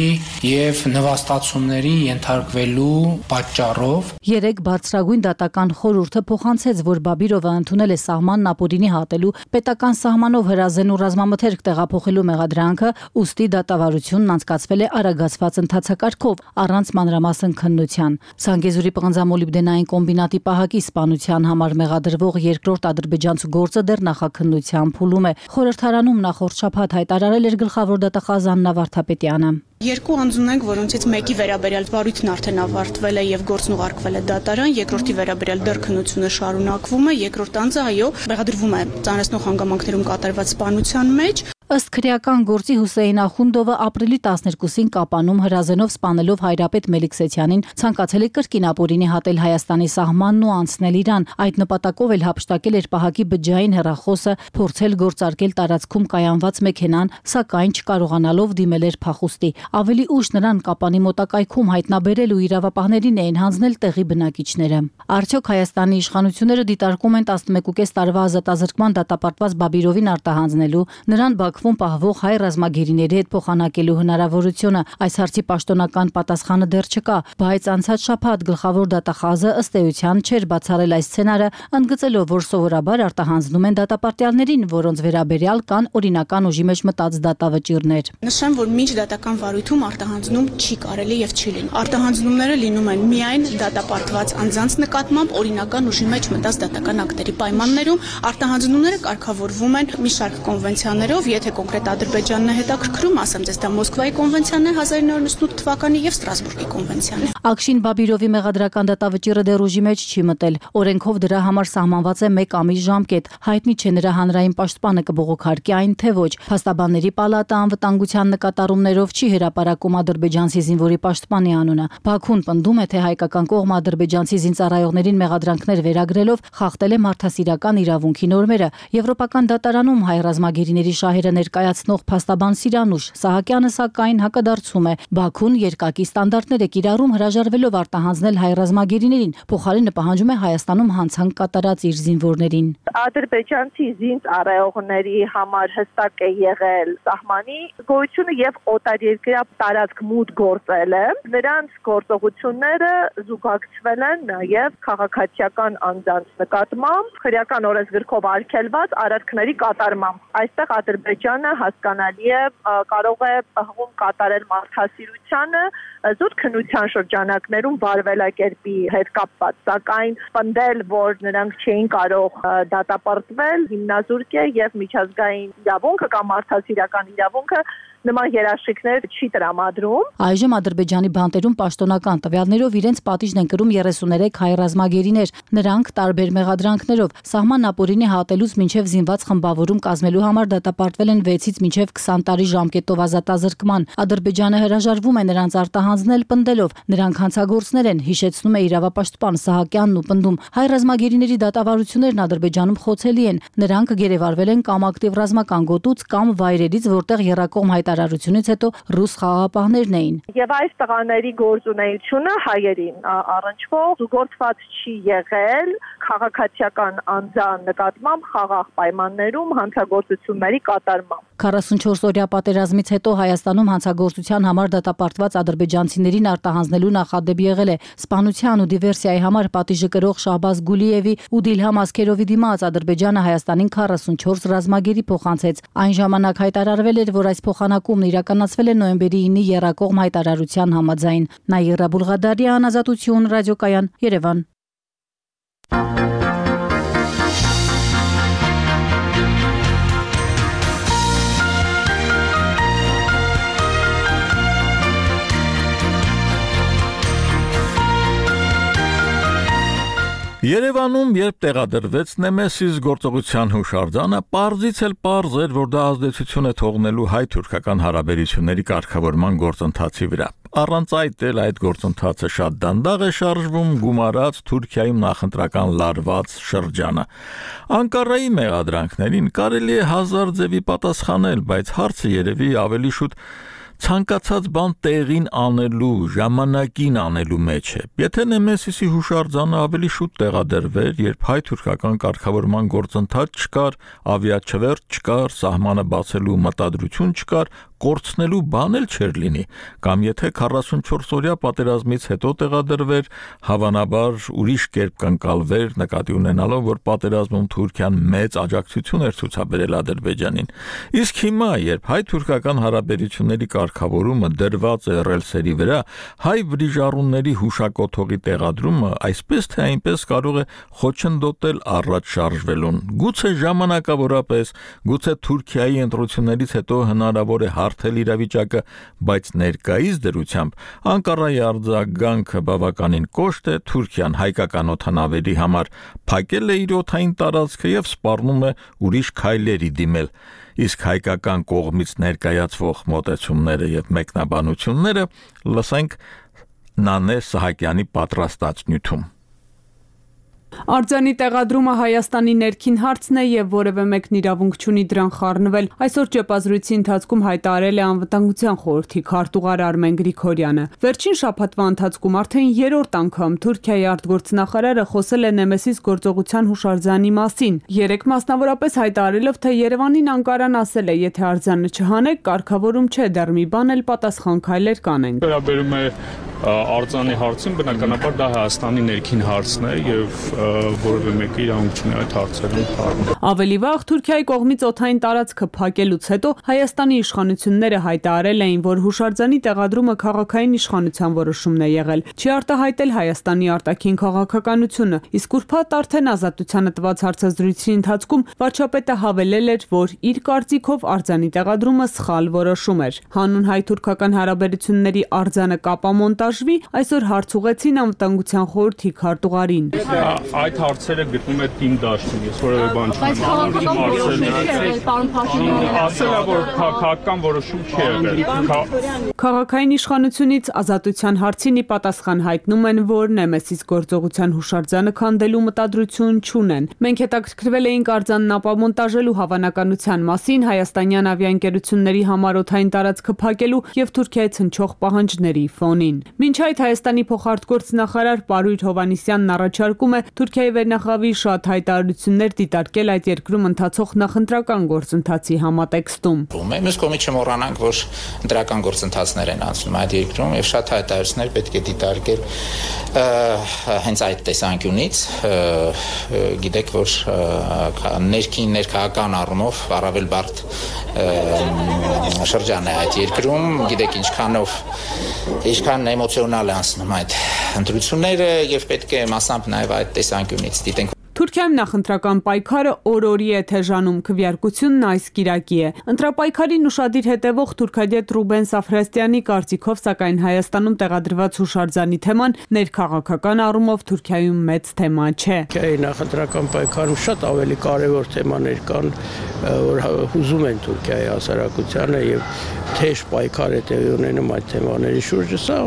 եւ նվաստացումների ենթարկվելու պատճառով։ Երեք բարձրագույն դատական խորհուրդը փոխանցեց, որ Բաբիրովը ընդունել է սահմանն ապօրինի հատելու, պետական սահմանով հրազեն ու ռազմամթերք տեղափոխելու մեղադրանքը, ուստի դատավարությունն անցկացվել է արագացված ընթացակարգով, առանց մանրամասն քննության։ Սանգեզուրի պղնձամոլիբդենային կոմբինատի պահակի սպանության համար մեղադրվող երկրորդ ադրբեջանցու գործը դեռ նախաքննության փուլում է։ Խորհրդարանում նախորդ շաբաթ հայտարարել էր գլխավոր դատախազ Աննա Վարդապետյանը։ 2 անձունենք, որոնցից մեկի վերաբերյալ վարույթն արդեն ավարտվել է եւ գործն ուղարկվել է դատարան, երկրորդի վերաբերյալ դեռ քննությունը շարունակվում է, երկրորդ անձը այո, մեղադրվում է ծանրացնող հանգամանքներում կատարված սպանության մեջ։ Ըստ քրեական գործի Հուսեյն Ախունդովը ապրիլի 12-ին Կապանում հրազենով սպանելով հայրապետ Մելիք-Սեթյանին ցանկացել է կրկին ապօրինի հատել Հայաստանի սահմանն ու անցնել Իրան։ Այդ նպատակով էլ հափշտակել էր պահակի բջջային հեռախոսը, փորձել գործարկել տարածքում կայանված մեքենան, սակայն չկարողանալով դիմել էր փախուստի։ Ավելի ուշ նրան Կապանի մոտակայքում հայտնաբերել ու իրավապահներին էին հանձնել տեղի բնակիչները։ Արդյոք Հայաստանի իշխանությունները դիտարկում են 11.5 տարվա ազատազրկման դատապարտված Բաբիրովին արտահանձնելու, նրան Բաքվում պահվող հայ ռազմագերիների հետ փոխանակելու հնարավորությունը։ Այս հարցի պաշտոնական պատասխանը դեռ չկա, բայց անցած շաբաթ գլխավոր դատախազը ըստ էության չէր բացառել այս սցենարը, ընդգծելով, որ սովորաբար արտահանձնում են դատապարտյալներին, որոնց վերաբերյալ կան օրինական ուժի մեջ մտած դատավճիռներ։ Նշեմ, որ մինչ դատական վարույթում արտահանձնում չի կարելի եւ չի լինում։ Արտահանձնումները լինում են միայն դատապարտված անձանց նկատմամբ օրինական ուժի մեջ մտած դատական ակտերի պայմաններում։ Արտահանձնումները կարգավորվում են մի շարք կոնվենցիաներով, եթե կոնկրետ Ադրբեջանն է հետաքրքրում, ասեմ ձեզ, դա Մոսկվայի կոնվենցիան է 1998 թվականի եւ Ստրասբուրգի կոնվենցիան է։ Ակշին Բաբիրովի մեղադրական դատավճիռը դեռ ուժի մեջ չի մտել։ Օրենքով դրա համար սահմանված է 1 ամիս ժամկետ։ Հայտնի չէ նրա հանրային պաշտպանը կբողոքարկի այն թե ոչ։ Փաստաբանների պալատը անվտանգության նկատառումներով չի հրապարակում ադրբեջանցի զինվորի պաշտպանի անունը։ Բաքուն պնդում է, թե հայկական կողմը ադրբեջանցի զինծառայողներին մեղադրանքներ վերագրելով խախտել է մարդասիրական իրավունքի նորմերը։ Եվրոպական դատարանում հայ ռազմագերիների շահերը ներկայացնող փաստաբան Սիրանուշ Սահակյանը սակայն հակադարձում է. Բաքուն երկակի ստանդարտներ է կիրառում հրաժարվելով արտահանձնել հայ ռազմագերիներին, փոխարենը պահանջում է Հայաստանում հանցանք կատարած իր զինվորներին։ Ադրբեջանցի զինծառայողների համար հստակ է եղել սահմանի գոյությունը եւ օտարերկրյա տարածք մուտք գործելը։ Նրանց գործողությունները զուգակցվել են նաեւ քաղաքացիական անձանց նկատմամբ քրեական օրենսգրքով արգելված արարքների կատարմամբ։ Այստեղ Ադրբեջանը հասկանալի է կարող է հղում կատարել մարդասիրությանը զուտ քննության շրջանակներում վարվելակերպի հետ կապված, սակայն պնդել, որ նրանք չէին կարող դատապարտվել, հիմնազուրկ է եւ միջազգային իրավունքը կամ մարդասիրական իրավունքը նման երաշխիքներ չի տրամադրում։ Այժմ Ադրբեջանի բանտերում պաշտոնական տվյալներով իրենց պատիժն են կրում 33 հայ ռազմագերիներ։ Նրանք տարբեր մեղադրանքներով սահման ապօրինի հատելուց մինչև զինված խմբավորում կազմելու համար դատապարտվել են 6-ից մինչև 20 տարի ժամկետով ազատազրկման։ Ադրբեջանը հրաժարվում է նրանց արտահանձնել պնդելով նրանք հանցագործներ են, հիշեցնում է իրավապաշտպան Սահակյանն ու պնդում հայ ռազմագերիների դատավարություններն Ադրբեջանում խոցելի են։ Նրանք գերեվարվել են կամ ակտիվ ռազմական գոտուց կամ վայրերից, որտեղ եռակողմ հայտարարությունից հետո ռուս խաղաղապահներն էին։ Եվ այս տղաների գործունեությունը հայերին առնչվող զուգորդված չի եղել քաղաքացիական անձան նկատմամբ խաղաղ պայմաններում հանցագործությունների կատարմամբ։ 44-օրյա պատերազմից հետո Հայաստանում հանցագործության համար դատապարտված ադրբեջանցիներին արտահանձնելու նախադեպ եղել է սպանության ու դիվերսիայի համար պատիժը կրող Շահբազ Գուլիևի ու Դիլհամ Ասքերովի դիմաց Ադրբեջանը Հայաստանին 44 ռազմագերի փոխանցեց։ Այն ժամանակ հայտարարվել էր, որ այս փոխանակումն իրականացվել է նոյեմբերի 9-ի եռակողմ հայտարարության համաձայն։ Նաիրա Բուլղադարյան, Ազատություն, ռադիոկայան, Երևան։ Երևանում, երբ տեղադրվեց Նեմեսիս գործողության հուշարձանը, պարզից էլ պարզ էր, որ դա ազդեցություն է թողնելու հայ-թուրքական հարաբերությունների կարգավորման գործընթացի վրա։ Առանց այդ էլ այդ գործընթացը շատ դանդաղ է շարժվում, գումարած Թուրքիայում նախընտրական լարված շրջանը։ Անկարայի մեղադրանքներին կարելի է հազար ձևի պատասխանել, բայց հարցը երևի ավելի շուտ ցանկացած բան տեղին անելու, ժամանակին անելու մեջ է։ Եթե Նեմեսիսի հուշարձանը ավելի շուտ տեղադրվեր, երբ հայ-թուրքական կարգավորման գործընթաց չկար, ավիաչվերթ չկար, սահմանը բացելու մտադրություն չկար, կորցնելու բան էլ չէր լինի, կամ եթե 44-օրյա պատերազմից հետո տեղադրվեր, հավանաբար ուրիշ կերպ կընկալվեր, նկատի ունենալով, որ պատերազմում Թուրքիան մեծ աջակցություն էր ցուցաբերել Ադրբեջանին։ Իսկ հիմա, երբ հայ-թուրքական հարաբերությունների կարգավորումը դրված է ռելսերի վրա, հայ վրիժառուների հուշակոթողի տեղադրումը այսպես թե այնպես կարող է խոչընդոտել առաջ շարժվելուն։ Գուցե ժամանակավորապես, գուցե Թուրքիայի ընտրություններից հետո հնարավոր է հարթել իրավիճակը, բայց ներկայիս դրությամբ Անկարայի արձագանքը բավականին կոշտ է, Թուրքիան հայկական օդանավերի համար փակել է իր օդային տարածքը եւ սպառնում է ուրիշ քայլերի դիմել, իսկ հայկական կողմից ներկայացվող մոտեցումները եւ մեկնաբանությունները լսենք Նանե Սահակյանի պատրաստած նյութում։ Արձանի տեղադրումը Հայաստանի ներքին հարցն է եւ որևէ մեկն իրավունք չունի դրան խառնվել։ Այսօր ճեպազրույցի ընթացքում հայտարարել է Անվտանգության խորհրդի քարտուղար Արմեն Գրիգորյանը։ Վերջին շաբաթվա ընթացքում արդեն երրորդ անգամ Թուրքիայի արտգործնախարարը խոսել է Նեմեսիս գործողության հուշարձանի մասին։ Երեք մասնավորապես հայտարարելով, թե Երևանին Անկարան ասել է, եթե արձանը չհանեք, կարգավորում չէ, դեռ մի բան էլ պատասխան քայլեր կանենք։ Վերաբերում է արձանի հարցին, բնականաբար դա Հայաստանի ներքին հարցն է եւ որևէ մեկը իրավունք չունի այդ հարցերին խառնել։ Ավելի վաղ Թուրքիայի կողմից օդային տարածքը փակելուց հետո Հայաստանի իշխանությունները հայտարարել էին, որ հուշարձանի տեղադրումը քաղաքային իշխանության որոշումն է եղել։ Չի արտահայտել Հայաստանի արտաքին քաղաքականությունը, իսկ ուրբաթ արդեն Ազատությանը տված հարցազրույցի ընթացքում վարչապետը հավելել էր, որ իր կարծիքով արձանի տեղադրումը սխալ որոշում էր։ Հանուն հայ-թուրքական հարաբերությունների արձանը կապամոնտաժ մոնտաժվի, այսօր հարց ուղղեցին անվտանգության խորհրդի քարտուղարին։ Այդ հարցերը գտնում եք իմ դաշտում, ես որևէ բան չեմ։ Քաղաքային իշխանությունից ազատության հարցին ի պատասխան հայտնում են, որ Նեմեսիս գործողության հուշարձանը քանդելու մտադրություն չունեն։ Մենք հետաքրքրվել էինք արձանն ապամոնտաժելու հավանականության մասին հայաստանյան ավիաընկերությունների համար օդային տարածքը փակելու եւ Թուրքիայից հնչող պահանջների ֆոնին։ Մինչ այդ Հայաստանի փոխարտգործնախարար Պարույր Հովհաննիսյանն առաջարկում է Թուրքիայի վերնախավի շատ հայտարարություններ դիտարկել այդ երկրում ընթացող նախընտրական գործընթացի համատեքստում։ Մյուս կողմից չմոռանանք, որ ընտրական գործընթացներ են անցնում այդ երկրում եւ շատ հայտարարություններ պետք է դիտարկել հենց այդ տեսանկյունից, գիտեք, որ ներքաղաքական առումով առավել բարդ շրջան է այդ երկրում, գիտեք ինչքան էմոցիոնալ է անցնում այդ ընտրությունները եւ պետք է մասամբ նաեւ այդ տեսանկյունից դիտենք։ Թուրքիայում նախընտրական պայքարը օր-օրի է թեժանում, քվեարկությունն այս կիրակի է։ Ընտրապայքարին ուշադիր հետևող թուրքագետ Ռուբեն Սաֆրաստյանի կարծիքով, սակայն Հայաստանում տեղադրված հուշարձանի թեման ներքաղաքական առումով Թուրքիայում մեծ թեմա չէ։ Թուրքիայի նախընտրական պայքարում շատ ավելի կարևոր թեմաներ կան, որ հուզում են Թուրքիայի հասարակությանը եւ թեժ պայքար է տեղի ունենում այդ թեմաների շուրջը։ Սա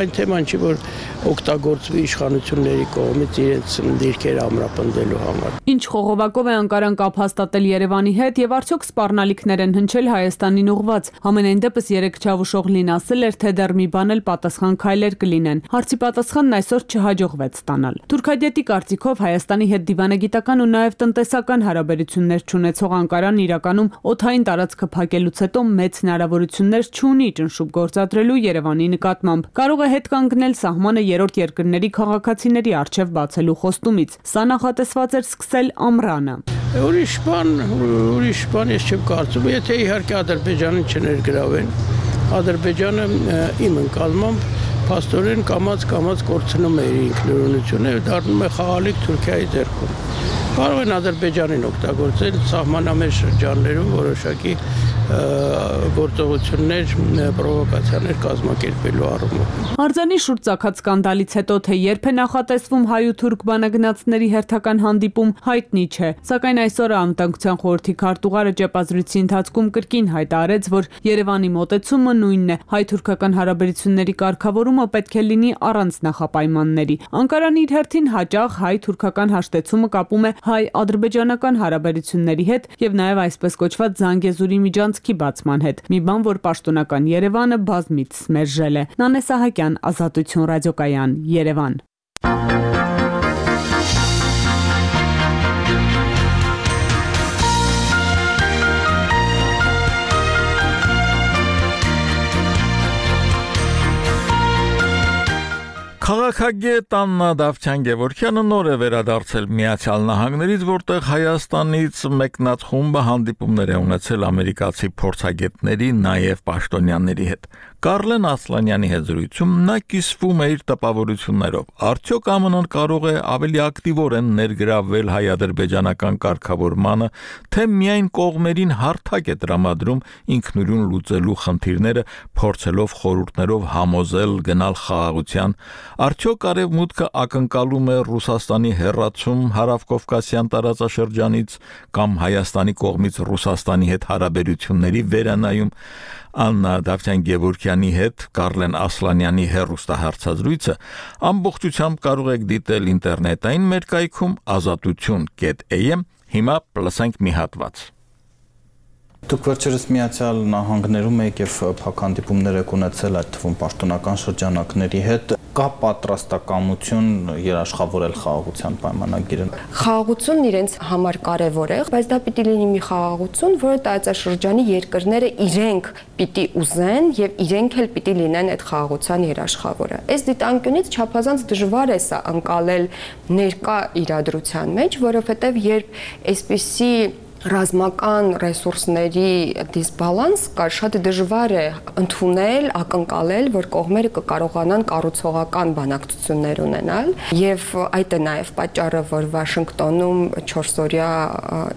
այն թեման չի, որ օգտագործվի իշխանությունների կողմից իրենց դիրքերը ամրապնդելու համար։ Ինչ խողովակով է Անկարան կապ հաստատել Երևանի հետ եւ արդյոք սպառնալիքներ են հնչել Հայաստանին ուղված։ Համենայն դեպս երեք Չավուշ Օղլին ասել էր, թե դեռ մի բան էլ պատասխան քայլեր կլինեն։ Հարցի պատասխանն այսօր չհաջողվեց ստանալ։ Թուրքագետի կարծիքով Հայաստանի հետ դիվանագիտական ու նաեւ տնտեսական հարաբերություններ չունեցող Անկարան իրականում օդային տարածքը փակելուց հետո մեծ հնարավորություններ չունի ճնշում գործադրելու Երևանի նկատմամբ։ Կարող է հետ կանգնել սահմանը երրորդ երկրների քաղաքացիների առջև բացելու խոստումից։ Սա նախատեսված էր սկսել ամռանը։ Ուրիշ բան ես չեմ կարծում, եթե իհարկե Ադրբեջանին չներգրավեն։ Ադրբեջանը իմ ընկալմամբ փաստորեն կամաց կորցնում է իր ինքնուրույնությունը եւ դառնում է խաղալիք Թուրքիայի ձեռքում։ Կարող են Ադրբեջանին օգտագործել սահմանամերձ շրջաններում որոշակի գործողություններ, պրովոկացիաներ կազմակերպելու առումով։ Արձանի շուրջ ծագած սկանդալից հետո թե երբ է նախատեսվում հայ ու թուրք բանագնացների հերթական հանդիպում, հայտնի չէ։ Սակայն այսօր անվտանգության խորհրդի քարտուղարը ճեպազրույցի ընթացքում կրկին հայտարարեց, որ Երևանի մոտեցումը նույնն է։ Հայ-թուրքական հարաբերությունների կարգավորումը պետք է լինի առանց նախապայմանների։ Անկարան իր հերթին հաճախ հայ-թուրքական հաշտեցումը կապում է հայ-ադրբեջանական հարաբերությունների հետ եւ նաեւ այսպես կոչված Զանգեզուրի միջանցքի բացման հետ։ Մի բան, որ պաշտոնական Երևանը բազմիցս մերժել է։ Նանե Սահակյան, Ազատություն ռադիոկայան, Երևան։ Քաղաքագետ Աննա Դավթյան-Գևորգյանը նոր է վերադարձել Միացյալ Նահանգներից, որտեղ Հայաստանից մեկնած խումբը հանդիպումներ է ունեցել ամերիկացի փորձագետների, նաև պաշտոնյաների հետ։ Կարլեն Ասլանյանի հետ զրույցում նա կիսվում է իր տպավորություններով։ Արդյոք ԱՄՆ-ն կարող է ավելի ակտիվորեն ներգրավվել հայ-ադրբեջանական կարգավորմանը, թե միայն կողմերին հարթակ է տրամադրում ինքնուրույն լուծելու խնդիրները, փորձելով խորհուրդներով համոզել գնալ խաղաղության։ Արդյոք Արևմուտքը ակնկալում է Ռուսաստանի հեռացում հարավկովկասյան տարածաշրջանից կամ Հայաստանի կողմից Ռուսաստանի հետ հարաբերությունների վերանայում։ Աննա Դավթյան-Գևորգյանի հետ Կարլեն Ասլանյանի հեռուստահարցազրույցը ամբողջությամբ կարող եք դիտել ինտերնետային մեր կայքում azatutun.am, հիմա լսենք մի հատված։ Դուք վերջերս Միացյալ Նահանգներում եք եւ փակ հանդիպումներ եք ունեցել այդ թվում պաշտոնական շրջանակների հետ, կա պատրաստակամություն երաշխավորել խաղաղության պայմանագիրը։ Խաղաղությունն իրենց համար կարևոր է, բայց դա պիտի լինի մի խաղաղություն, որը տարածաշրջանի երկրները իրենք պիտի ուզեն եւ իրենք էլ պիտի լինեն այդ խաղաղության երաշխավորը։ Այս դիտանկյունից չափազանց դժվար է սա անցալել ներկա իրադրության մեջ, որովհետեւ երբ այսպիսի ռազմական ռեսուրսների դիսբալանս կար, շատ դժվար է ընդունել, ակնկալել, որ կողմերը կկարողանան կառուցողական բանակցություններ ունենալ, եւ այդ է նաեւ պատճառը, որ Վաշինգտոնում 4-օրյա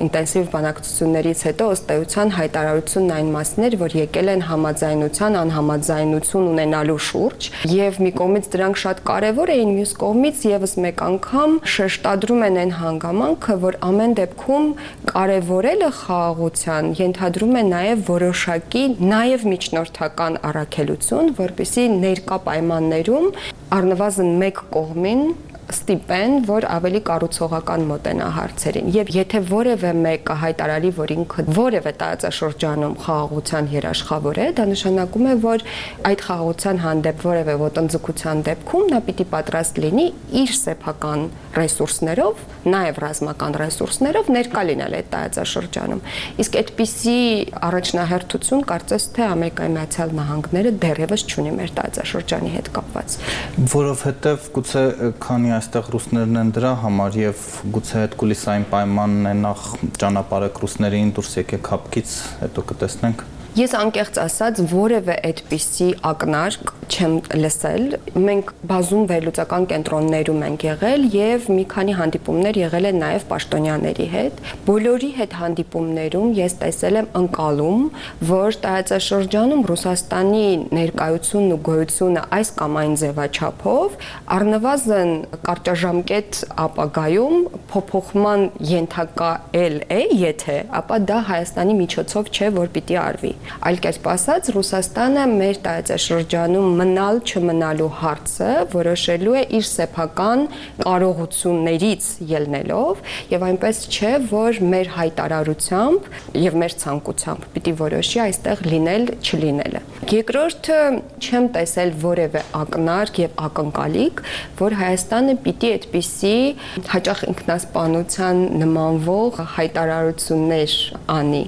ինտենսիվ բանակցություններից հետո ըստ էության հայտարարությունն այն մասն էր, որ եկել են համաձայնության, անհամաձայնություն ունենալու շուրջ, եւ մի կողմից դրանք շատ կարեւոր էին, մյուս կողմից եւս մեկ անգամ շեշտադրում են այն հանգամանքը, որ ամեն դեպքում կարևորելը խաղաղության ենթադրում է նաև որոշակի նաև միջնորդական առաքելություն, որպեսզի ներկա պայմաններում առնվազն մեկ կողմին ստիպեն, որ ավելի կառուցողական մոտենա հարցերին։ Եվ եթե որևէ մեկը հայտարարի, որ ինքը որևէ տարածաշրջանում խաղաղության երաշխավոր է, դա նշանակում է, որ այդ խաղաղության հանդեպ որևէ ոտնձգության դեպքում նա պիտի պատրաստ լինի իր սեփական ռեսուրսներով, նաև ռազմական ռեսուրսներով ներկա լինել այդ տարածաշրջանում։ Իսկ այդպիսի առաջնահերթություն կարծես թե Ամերիկայի Միացյալ Նահանգները դեռևս չունի մեր տարածաշրջանի հետ կապված։ Որովհետև գուցե քանի այստեղ ռուսներն են դրա համար եւ գուցե այդ կուլիսային պայմանն է նախ ճանապարհեք ռուսներին դուրս եկեք հապկից, հետո կտեսնենք։ Ես անկեղծ ասած որևէ այդպիսի ակնարկ չեմ լսել։ Մենք բազում վերլուծական կենտրոններում ենք եղել եւ մի քանի հանդիպումներ եղել են նաեւ պաշտոնյաների հետ։ Բոլորի հետ հանդիպումներում ես տեսել եմ ընկալում, որ տարածաշրջանում Ռուսաստանի ներկայությունն ու գոյությունը այս կամ այն ձևաչափով առնվազն կարճաժամկետ ապագայում փոփոխման ենթակա է, եթե, ապա դա Հայաստանի միջոցով չէ, որ պիտի արվի։ Այլ կերպ ասած, Ռուսաստանը մեր տարածաշրջանում մնալ չմնալու հարցը որոշելու է իր սեփական կարողություններից ելնելով եւ այնպես չէ, որ մեր հայտարարությամբ եւ մեր ցանկությամբ պիտի որոշի այստեղ լինել չլինելը։ Երկրորդը չեմ տեսել որևէ ակնարկ եւ ակնկալիք, որ Հայաստանը պիտի այդպիսի հաճախ ինքնասպանության նմանվող հայտարարություններ անի,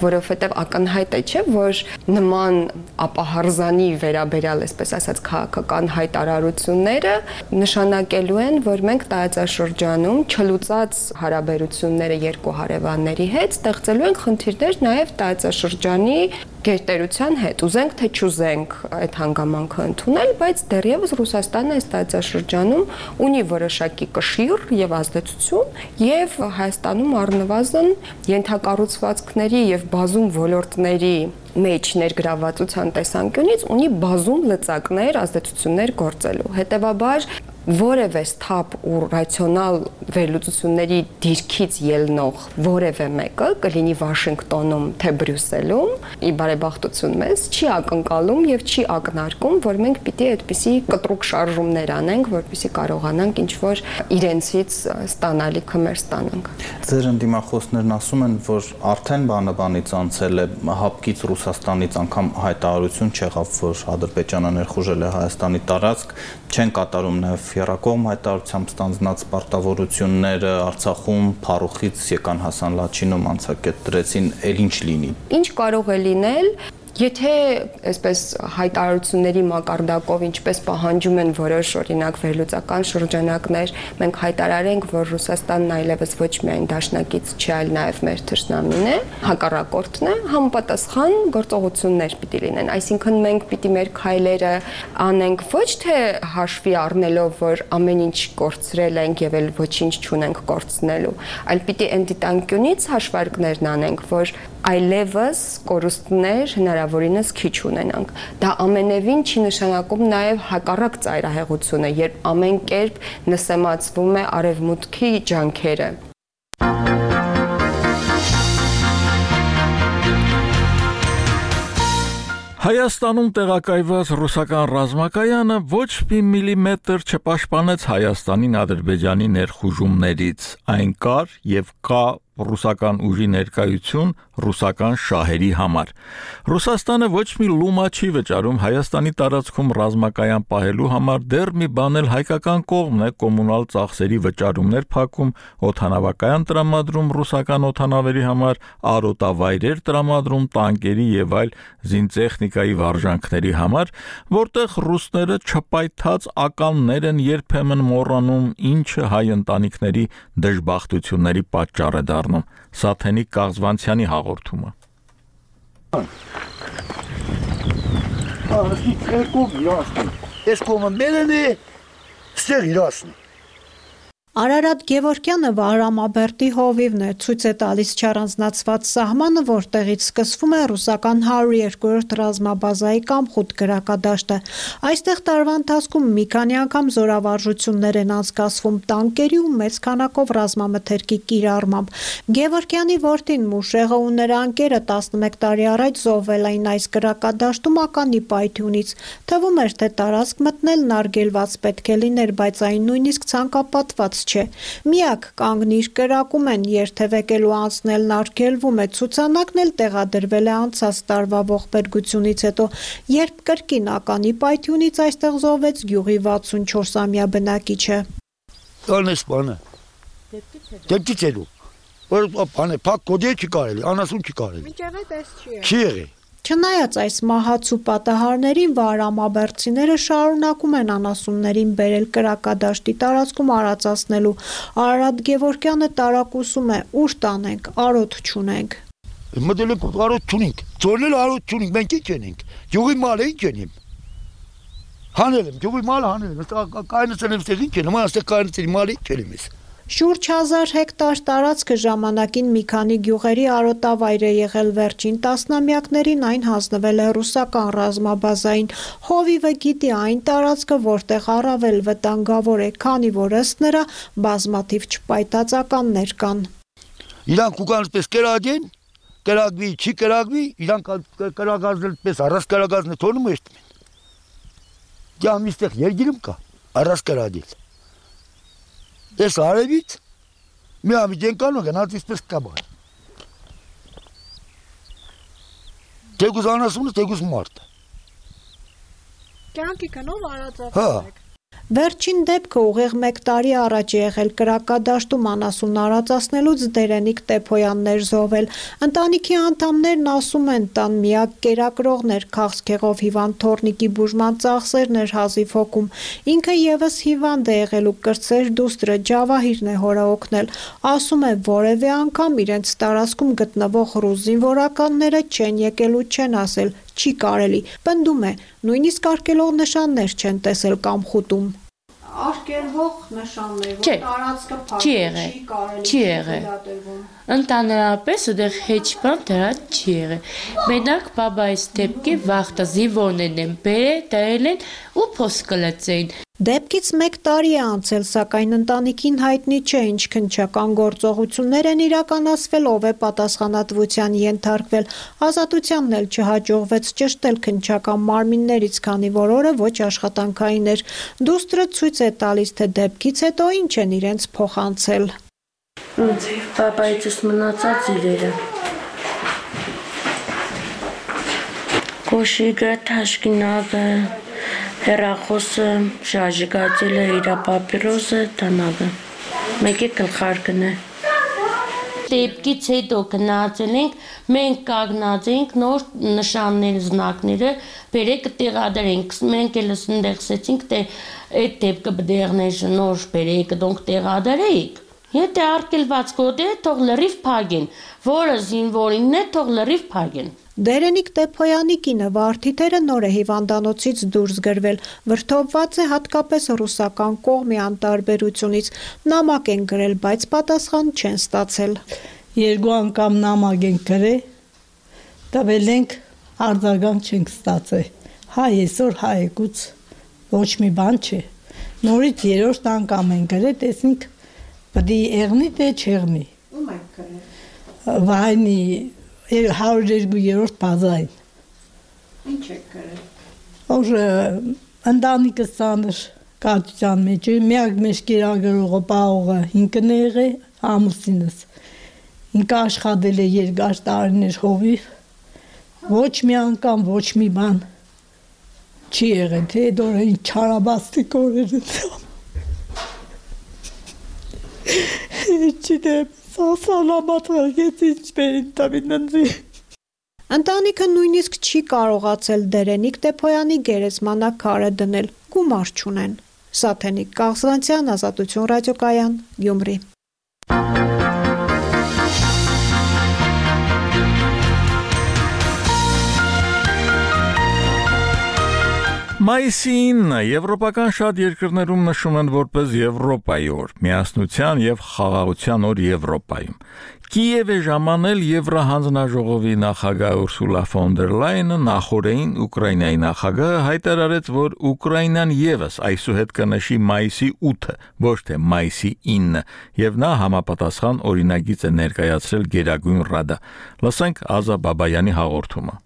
որովհետեւ ակնհայտ է, չէ, որ նման ապահարզանի վերաբերյալ, այսպես ասած, քաղաքական հայտարարությունները նշանակելու են, որ մենք տարածաշրջանում չլուծած հարաբերությունները երկու հարևանների հետ ստեղծելու ենք խնդիրներ նաև տարածաշրջանի գերտերության հետ, ուզենք թե չուզենք այդ հանգամանքը ընդունել, բայց դեռևս Ռուսաստանը այս տարածաշրջանում ունի որոշակի կշիռ եւ ազդեցություն եւ Հայաստանում առնվազն ենթակառուցվածքների եւ բազում ոլորտների մեջ ներգրավվածության տեսանկյունից ունի բազում լծակներ, ազդեցություններ գործելու։ Հետևաբար որևէ սթափ ու ռացիոնալ վերլուծությունների դիրքից ելնող որևէ մեկը կլինի Վաշինգտոնում թե Բրյուսելում, ի բարեբախտություն մեզ, չի ակնկալում եւ չի ակնարկում, որ մենք պիտի այդպիսի կտրուկ շարժումներ անենք, որպեսզի կարողանանք ինչ-որ իրենցից ստանալիքը մեր ստանանք։ Ձեր ընդդիմախոսներն ասում են, որ արդեն բանաբանից անցել է հապկից Ռուսաստանից անգամ հայտարարություն չեղավ, որ Ադրբեջանը ներխուժել է Հայաստանի տարածք, չեն կատարում նաեւ Եռակողմ հայտարարությամբ ստանձնած պարտավորությունները Արցախում փառուխից եկան Հասան Լաչինում անցակետ դրեցին, էլ ինչ լինի։ Ինչ կարող է լինել, եթե այսպես հայտարարությունների մակարդակով ինչպես պահանջում են որոշ օրինակ վերլուծական շրջանակներ, մենք հայտարարենք, որ Ռուսաստանն այլևս ոչ միայն դաշնակից չէ, այլ նաև մեր թշնամին է, հակառակորդն է, համապատասխան գործողություններ պիտի լինեն։ Այսինքն մենք պիտի մեր քայլերը անենք ոչ թե հաշվի առնելով, որ ամեն ինչ կորցրել ենք եւ էլ ոչինչ չունենք կորցնելու, այլ պիտի այն դիտանկյունից հաշվարկներն անենք, որ այլևս կորուստներ հնարավորինս քիչ ունենանք։ Դա ամենևին չի նշանակում նաև հակառակ ծայրահեղությունը, երբ ամեն կերպ նսեմացվում է արևմուտքի ջանքերը։ Հայաստանում տեղակայված ռուսական ռազմակայանը ոչ մի միլիմետր չպաշտպանեց Հայաստանին Ադրբեջանի ներխուժումներից։ Այն կար եւ կա ռուսական ուժի ներկայություն ռուսական շահերի համար։ Ռուսաստանը ոչ մի լումա չի վճարում Հայաստանի տարածքում ռազմակայան պահելու համար, դեռ մի բան էլ հայկական կողմն է կոմունալ ծախսերի վճարումներ փակում, օդանավակայան տրամադրում ռուսական օդանավերի համար, արոտավայրեր տրամադրում տանկերի եւ այլ զինտեխնիկայի վարժանքների համար, որտեղ ռուսները չպայթած ականներ են երբեմն մոռանում, ինչը հայ ընտանիքների դժբախտությունների պատճառ է անդրադառնում Սաթենիկ Կաղզվանցյանի հաղորդումը։ Ես կողմը մերն է, ստեղ իրասնի։ Արարատ Գևորգյանը Վահրամաբերդի հովիվն է, ցույց է տալիս չառանձնացված սահմանը, որտեղից սկսվում է ռուսական 102-րդ ռազմաբազայի Կամխուտ գրակադաշտը։ Այստեղ տարվա ընթացքում մի քանի անգամ զորավարժություններ են անցկացվում տանկերի ու մեծ քանակով ռազմամթերքի կիրառմամբ։ Գևորգյանի որդին Մուշեղը ու նրա ընկերը 11 տարի առաջ զոհվել էին այս գրակադաշտում ականի պայթյունից։ Թվում էր, թե տարածք մտնելն արգելված պետք է լիներ, բայց այն նույնիսկ ցանկապատված չէ։ Միակ կանգնիր կրակում են, երթևեկելու անցնելն արգելվում է, ցուցանակն էլ տեղադրվել է անցած տարվա ողբերգությունից հետո, երբ կրկին ականի պայթյունից այստեղ զոհվեց գյուղի 64-ամյա բնակիչը։ Տանես բանը։ Դեպքից հետո։ Որ բանը փակ կոդի չի կարելի, անասուն չի կարելի։ Մինչև այդ էս չի։ Չի եղել։ Չնայած այս մահացու պատահարներին վահրամաբերդցիները շարունակում են անասուններին բերել կրակադաշտի տարածքում արածացնելու։ Արարատ Գևորգյանը տարակուսում է, ուր տանենք, արոտ չունենք։ Մտել ենք արոտ չունենք, ծորնել արոտ չունենք, մենք ինչ ենք, յուղի մալը ինչ ենք։ Հանել եմ, յուղի մալը հանել եմ, կայնացել եմ ստեղ ինչ են, հիմա ստեղ կայնացել մալը ինչ եմ ես։ Շուրջ 1000 հեկտար տարածքը ժամանակին մի քանի գյուղերի արոտավայր է եղել, վերջին տասնամյակներին այն հանձնվել է ռուսական ռազմաբազային։ Հովիվը գիտի այն տարածքը, որտեղ առավել վտանգավոր է, քանի որ ըստ նրա բազմաթիվ չպայտածականներ կան։ Իրանք ուկանցպես կրագեն, կրագվի, չի կրագվի, իրանք կրագազնել պես առած կրագազնը թողնում էստում են։ Դե ամիստեղ երգիրում կա, առած կրագել։ Ես արևից մի ամիջ են կանող են հատից պես կաբար։ Տեգուզ անասունը, տեգուզ մարդը։ Կյանքի կնով արածացեք։ Հա։ Վերջին դեպքը ուղիղ 1 տարի առաջ է եղել կրակադաշտում անասուն արածացնելուց Դերենիկ Տեփոյաններ զոհվել։ Ընտանիքի անդամներն ասում են, տան միակ կերակրողներ քաղցկեղով հիվանդ Թորնիկի բուժման ծախսերն էր հազիվ հոգում։ Ինքը եւս հիվանդ է եղել ու կրծեր դուստրը Ջավահիրն է հորը օգնել։ Ասում է, որևէ անգամ իրենց տարածքում գտնվող ռուս զինվորականները չեն եկել ու չեն ասել, չի կարելի։ Պնդում է, նույնիսկ արկելող նշաններ չեն տեսել Կամխուտում։ Արկելվող նշաններ, որ տարածքը փակ չի կարելի։ Ընդհանրապես ուտեղ հեչ բան դրա չի եղել։ Մենակ բաբայից դեպքի վախտը զինվորներն են դրել են ու փոս կլծեին։ Դեպքից 1 տարի է անցել, սակայն ընտանիքին հայտնի չէ, ինչ քննչական գործողություններ են իրականացվել, ով է պատասխանատվության ենթարկվել։ Ազատությանն էլ չհաջողվեց ճշտել քննչական մարմիններից, քանի որ օրը ոչ աշխատանքային էր։ Դուստրը ցույց է տալիս, թե դեպքից հետո ինչ են իրենց փոխանցել։ Պապայից մնացած իրերը։ Կոշիկը, թաշկինակը, հեռախոսը, շարժիգացելը, իր պապիրոսը, տանագը, մեկի գլխարկն է։ Դեպքից հետո գնացել ենք, մենք կանգնած ենք նոր նշաններ, զնակները, բերեք տեղադրենք, մենք էլ ընդեղսեցինք, թե այդ դեպքը բդեղներ նոր բերեք, դոնք տեղադրեիք։ Եթե արկելված կոդ է, թող լրիվ փագեն, որը զինվորինն է, թող լրիվ փագեն։ Դերենիկ Տեփոյանի կինը Վարդիթերը նոր է հիվանդանոցից դուրս գրվել, վրդովված է հատկապես ռուսական կողմի անտարբերությունից, նամակ են գրել, բայց պատասխան չեն ստացել։ 2 անգամ նամակ են գրել, տվել ենք, արձագանք չենք ստացել։ Հայ այսօր հայեկուց ոչ մի բան չէ։ Նորից 3-րդ անգամ են գրել, տեսնենք պիտի եղնի թե չեղնի։ Ում եք գրել։ Վայնի 102-րդ բազային։ Ինչ եք գրել։ Որ ընտանիքը ծանր կացության մեջ է, միակ մեջ կերակրողը պահողը ինքն է եղել, ամուսինս։ Ինքը աշխատել է երկար տարիներ հովիվ, ոչ մի անգամ, ոչ մի բան չի եղել, թե դորը ինչ չարաբաստիկ օրեր են։ Չիտեմ, սասալամատ հարգեց ինչպերին տավին ննձի։ Ընտանիքը նույնիսկ չի կարողացել Դերենիկ Տեփոյանի գերեզմանակարը դնել, գումար չունեն։ Սաթենիկ Կաղզվանցյան, Ազատություն ռադիոկայան, Գյումրի։ Մայիսի 9-ը եվրոպական շատ երկրներում նշում են որպես Եվրոպայի օր, միասնության եւ խաղաղության օր Եվրոպայում։ Կիև է ժամանել Եվրահանձնաժողովի նախագահ Ուրսուլա ֆոն դեր Լայենը նախորդին Ուկրաինայի նախագահը հայտարարեց, որ Ուկրաինան եւս այսուհետ կնշի մայիսի 8-ը, ոչ թե մայիսի 9-ը, եւ նա համապատասխան օրինագիծ է ներկայացրել Գերագույն Ռադա։ Լսենք Ազա Բաբայանի հաղորդումը։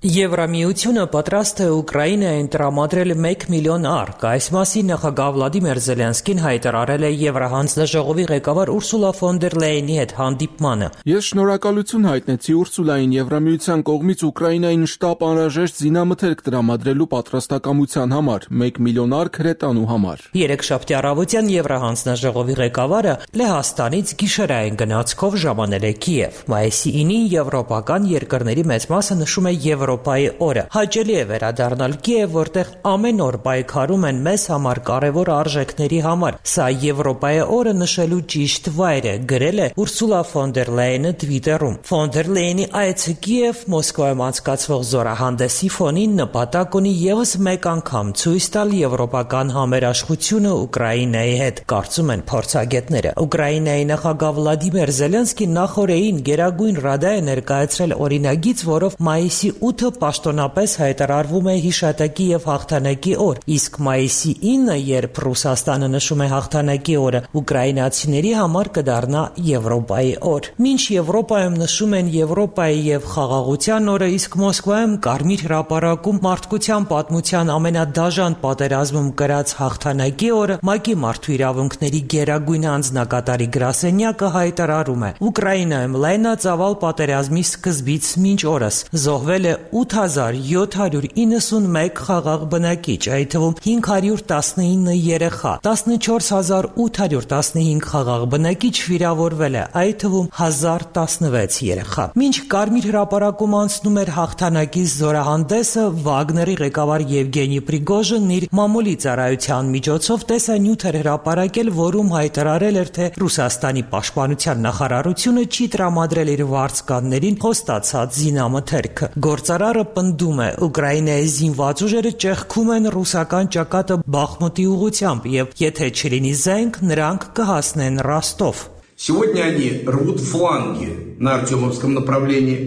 Եվրամիությունը պատրաստ է Ուկրաինային տրամադրել 1 միլիոն արկ։ Այս մասին նախագահ Վլադիմիր Զելենսկին հայտարարել է Եվրահանձնաժողովի ղեկավար Ուրսուլա ֆոն դեր Լայենի հետ հանդիպմանը։ Ես շնորհակալություն հայտնեցի Ուրսուլային Եվրամիության կողմից Ուկրաինային շտապ անհրաժեշտ զինամթերք տրամադրելու պատրաստակամության համար, 1 միլիոն արկ հրետանու համար։ Երեքշաբթի առավոտյան Եվրահանձնաժողովի ղեկավարը Լեհաստանից գիշերային գնացքով ժամանել է Կիև։ Մայիսի 9-ին եվրոպական երկրների մեծ մասը նշում է Եվրոպայի օրը։ Հաճելի է վերադառնալ Կիև, որտեղ ամեն օր պայքարում են մեզ համար կարևոր արժեքների համար։ Սա Եվրոպայի օրը նշելու ճիշտ վայր է, գրել է Ուրսուլա ֆոն դեր Լայենը Twitter-ում։ Ֆոն դեր Լայենի այցը Կիև Մոսկվայում անցկացվող զորահանդեսի ֆոնին նպատակ ունի ևս մեկ անգամ ցույց տալ եվրոպական համերաշխությունը Ուկրաինայի հետ, կարծում են փորձագետները։ Ուկրաինայի նախագահ Վլադիմիր Զելենսկին նախորդին Գերագույն Ռադա է ներկայացրել օրինագիծ, որով մայիսի 8-ը պաշտոնապես հայտարարվում է հիշատակի եւ հաղթանակի օր, իսկ մայիսի 9-ը, երբ Ռուսաստանը նշում է հաղթանակի օրը, ուկրաինացիների համար կդառնա Եվրոպայի օր։ Մինչ Եվրոպայում նշում են Եվրոպայի եւ խաղաղության օրը, իսկ Մոսկվայում Կարմիր հրապարակում մարդկության պատմության ամենադաժան պատերազմում կրած հաղթանակի օրը, ՄԱԿ-ի մարդու իրավունքների գերագույն անձնակատարի գրասենյակը հայտարարում է. Ուկրաինայում լայնածավալ պատերազմի սկզբից մինչ օրս զոհվել է 8791 խաղաղ բնակիչ, այդ թվում 519 երեխա, 14815 խաղաղ բնակիչ վիրավորվել է, այդ թվում 1016 երեխա։ Մինչ Կարմիր հրապարակում անցնում էր հաղթանակի զորահանդեսը, Վագների ղեկավար Եվգենի Պրիգոժինն իր մամուլի ծառայության միջոցով տեսանյութ էր հրապարակել, որում հայտարարել էր, թե Ռուսաստանի պաշտպանության նախարարությունը չի տրամադրել իր վարձկաններին խոստացած զինամթերքը։ Գործարարը պնդում է, Ուկրաինայի զինված ուժերը ճեղքում են ռուսական ճակատը Բախմուտի ուղղությամբ եւ եթե չլինի զենք, նրանք կհասնեն Ռոստով։ Сегодня они рвут фланги на Артемовском направлении.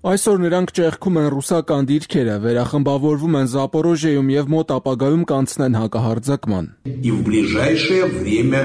Այսօր նրանք ճեղքում են ռուսական դիրքերը, վերախմբավորվում են Զապորոժիայում եւ մոտ ապագայում կանցնեն հակահարձակման։ И в ближайшее время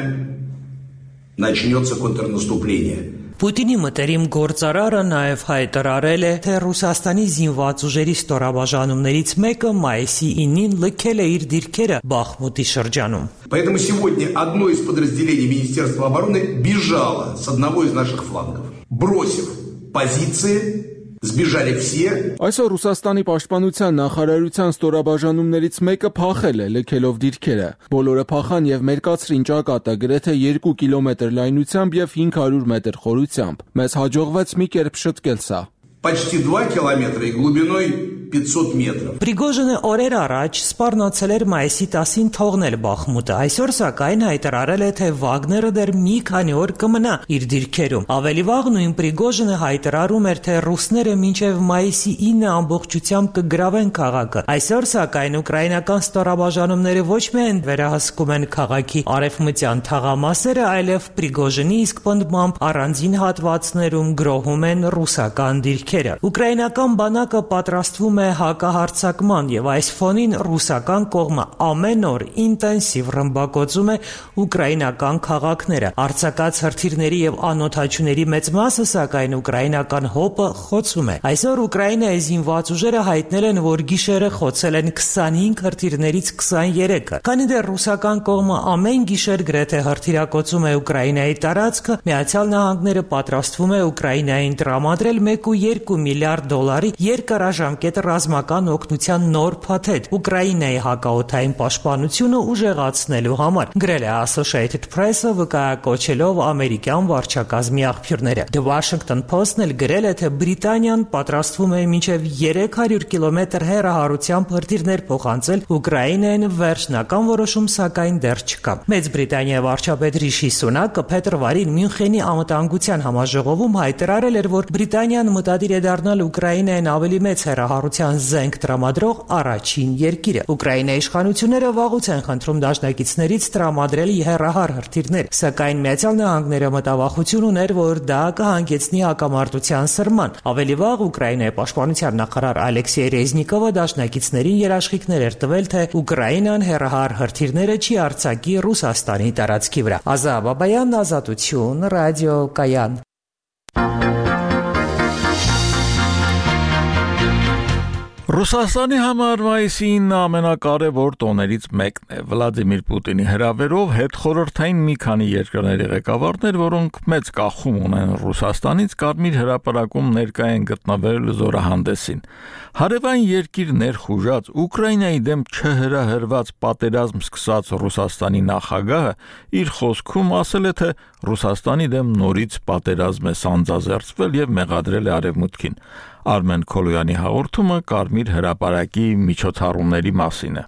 начнется контрнаступление. Պուտինի մտերիմ գործարարը նաև հայտարարել է, թե Ռուսաստանի զինված ուժերի ստորաբաժանումներից մեկը մայիսի 9-ին լքել է իր դիրքերը Բախմուտի շրջանում։ Поэтому сегодня одно из подразделений Министерства обороны бежало с одного из наших флангов, бросив позиции. Сбежали все. Այսօր Ռուսաստանի պաշտպանության նախարարության ստորաբաժանումներից մեկը փախել է, լքելով դիրքերը։ Բոլորը փախան եւ մերկացրին ճակատը գրեթե 2 կիլոմետր լայնությամբ եւ 500 մետր խորությամբ։ Մեզ հաջողվեց մի կերպ շտկել սա։ Почти 2 километра и глубиной 500 метров. Պրիգոժինը օրեր առաջ սպառնացել էր մայիսի 10-ին թողնել Բախմուտը։ Այսօր սակայն հայտարարել է, թե Վագները դեռ մի քանի օր կմնա իր դիրքերում։ Ավելի վաղ նույն Պրիգոժինը հայտարարում էր, թե ռուսները մինչև մայիսի 9-ը ամբողջությամբ կգրավեն քաղաքը։ Այսօր սակայն ուկրաինական ստորաբաժանումները ոչ միայն վերահսկում են քաղաքի արևմտյան թաղամասերը, այլև Պրիգոժինի իսկ պնդմամբ առանձին հատվածներում գրոհում են ռուսական դիրքերը։ Ուկրաինական բանակը պատրաստվում է հակահարձակման եւ այս ֆոնին ռուսական կողմը ամեն օր ինտենսիվ ռմբակոծում է ուկրաինական քաղաքները։ Արձակած հրթիռների եւ անօթաչուների մեծ մասը սակայն ուկրաինական հոպը խոցում է։ Այսօր Ուկրաինայի զինված ուժերը հայտնել են, որ գիշերը խոցել են 25 հրթիռներից 23-ը։ Քանի դեռ ռուսական կողմը ամեն գիշեր գրեթե հրթիռակոծում է Ուկրաինայի տարածքը, Միացյալ Նահանգները պատրաստվում է Ուկրաինային տրամադրել 1.2 միլիարդ դոլարի երկարաժամկետ ռազմական օգնության նոր փաթեթ Ուկրաինայի հակաօդային պաշտպանությունը ուժեղացնելու համար, գրել է Associated Press-ը վկայակոչելով ամերիկյան վարչակազմի աղբյուրները։ The Washington Post-ն էլ գրել է, թե Բրիտանիան պատրաստվում է մինչև 300 կիլոմետր հեռահարությամբ հրթիռներ փոխանցել Ուկրաինային, վերջնական որոշում սակայն դեռ չկա։ Մեծ Բրիտանիայի վարչապետ Ռիշի Սունակը փետրվարին Մյունխենի անվտանգության համաժողովում հայտարարել էր, որ Բրիտանիան մտադիր է դառնալ Ուկրաինային ավելի մեծ հեռահարությամբ հակամարտության զենք տրամադրող առաջին երկիրը։ Ուկրաինայի իշխանությունները վաղուց են խնդրում դաշնակիցներից տրամադրել հեռահար հրթիռներ, սակայն Միացյալ Նահանգները մտավախություն ուներ, որ դա կհանգեցնի հակամարտության սրման։ Ավելի վաղ Ուկրաինայի պաշտպանության նախարար Ալեքսեյ Ռեզնիկովը դաշնակիցներին երաշխիքներ էր տվել, թե Ուկրաինան հեռահար հրթիռները չի արձակի Ռուսաստանի տարածքի վրա։ Ազա Բաբայան, Ազատություն, Ռադիո Կայան։ Ռուսաստանի համար մայիսի 9-ը ամենակարևոր տոներից մեկն է։ Վլադիմիր Պուտինի հրավերով հետխորհրդային մի քանի երկրների ղեկավարներ, որոնք մեծ կախում ունեն Ռուսաստանից, Կարմիր հրապարակում ներկա են գտնվել զորահանդեսին։ Հարևան երկիր ներխուժած Ուկրաինայի դեմ չհրահրված պատերազմ սկսած Ռուսաստանի նախագահը իր խոսքում ասել է, թե Ռուսաստանի դեմ նորից պատերազմ է սանձազերծվել եւ մեղադրել է Արևմուտքին։ Արմեն Քոլոյանի հաղորդումը Կարմիր հրապարակի միջոցառումների մասին է։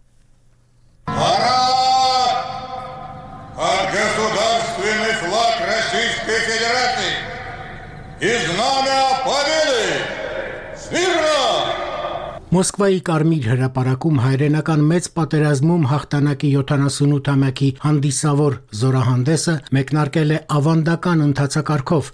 Государственный флаг Российской Федерации и знамя победы! Смирно! Մոսկվայի Կարմիր հրապարակում հայրենական մեծ պատերազմում հաղթանակի 78-ամյակի հանդիսավոր զորահանդեսը մեկնարկել է ավանդական ընթացակարգով։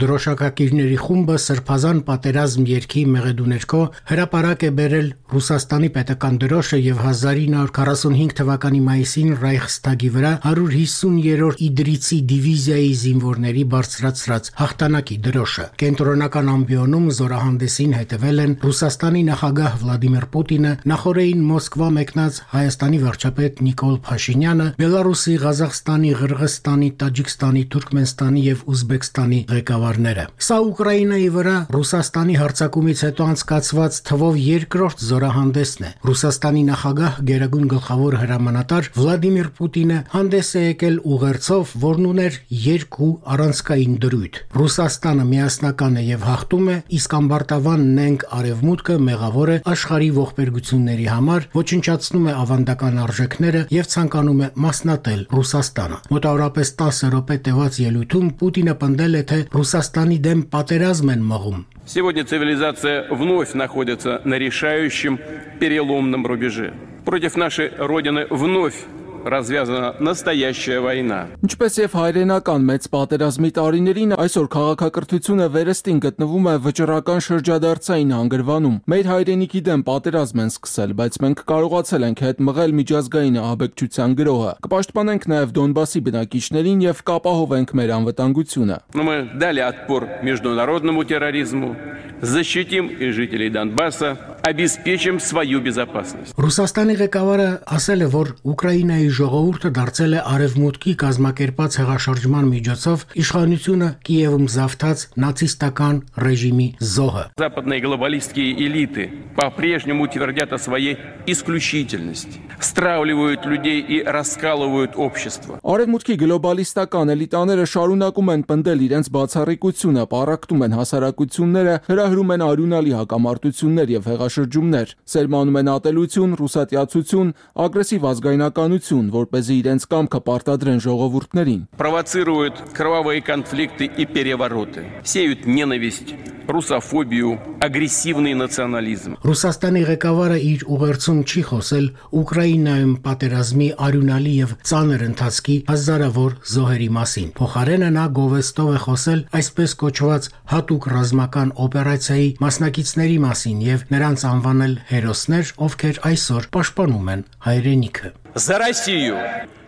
Դրոշակակիրների խումբը սրբազան պատերազմ երգի մեղեդուներքո հրապարակ է բերել Ռուսաստանի պետական դրոշը եւ 1945 թվականի մայիսին Ռայխստագի վրա 150-րդ իդրիցի դիվիզիայի զինվորների բարձրացրած հաղթանակի դրոշը։ Կենտրոնական ամբիոնում զորահանդեսին հետևել են Ռուսաստանի նախագահ Վլադիմիր Պուտինը, նախորդին Մոսկվա մեկնած Հայաստանի վարչապետ Նիկոլ Փաշինյանը, Բելարուսի, Ղազախստանի, Ղրղստանի, Տաջիկստանի, Թուրքմենստանի եւ Ուզբեկստանի ղեկավարները։ Սա Ուկրաինայի վրա Ռուսաստանի հարձակումից հետո անցկացված թվով երկրորդ զորահանդեսն է։ Ռուսաստանի նախագահ Գերագույն գլխավոր հրամանատար Վլադիմիր Պուտինը հանդես է եկել ուղերձով, որն ուներ երկու առանցքային դրույթ։ Ռուսաստանը միասնական է եւ հաղթում է, իսկ ամբարտավան նենգ արևմուտքը մեղավոր է աշխարհի ողբերգությունների համար, ոչնչացնում է ավանդական արժեքները եւ ցանկանում է մասնատել Ռուսաստանը։ Մոտավորապես 10 րոպե տևած ելույթում Պուտինը պնդել է, թե Ռուսաստանի դեմ պատերազմ են մղում։ Сегодня цивилизация вновь находится на решающем переломном рубеже. Против нашей Родины вновь развязана настоящая война. Ինչպես եւ հայրենական մեծ պատերազմի տարիներին, այսօր քաղաքակրթությունը վերստին գտնվում է վճռական շրջադարձային հանգրվանում։ Մեր հայրենիքի դեմ պատերազմ են սկսել, բայց մենք կարողացել ենք հետ մղել միջազգային ահաբեկչության գրոհը։ Կպաշտպանենք նաեւ Դոնբասի բնակիչներին եւ կապահովենք մեր անվտանգությունը։ Мы дали отпор международному терроризму, защитим и жителей Донбасса, обеспечим свою безопасность. Ռուսաստանի ղեկավարը ասել է, որ Ուկրաինայի ժողովուրդը դարձել է արևմուտքի կազմակերպած հեղաշրջման միջոցով իշխանությունը Կիևում զավթած նացիստական ռեժիմի զոհը։ Западные глобалистские элиты по-прежнему твердят о своей исключительности, стравливают людей и раскалывают общество. Արևմուտքի գլոբալիստական էլիտաները շարունակում են պնդել իրենց բացառիկությունը, պառակտում են հասարակությունները, հրահրում են արյունալի հակամարտություններ եւ հեղաշրջումներ, սերմանում են ատելություն, ռուսատիացություն, ագրեսիվ ազգայնականություն, որպեսզի իրենց կամքը պարտադրեն ժողովուրդներին։ Провоцируют кровавые конфликты и перевороты, сеют ненависть, русофобию, агрессивный национализм. Ռուսաստանի ղեկավարը իր ուղերձում չի խոսել Ուկրաինայում պատերազմի արյունալի եւ ծանր ընթացքի հազարավոր զոհերի մասին։ Փոխարենը նա գովեստով է խոսել այսպես կոչված հատուկ ռազմական օպերացիայի մասնակիցների մասին եւ նրանց անվանել հերոսներ, ովքեր այսօր պաշտպանում են հայրենիքը։ За Россию!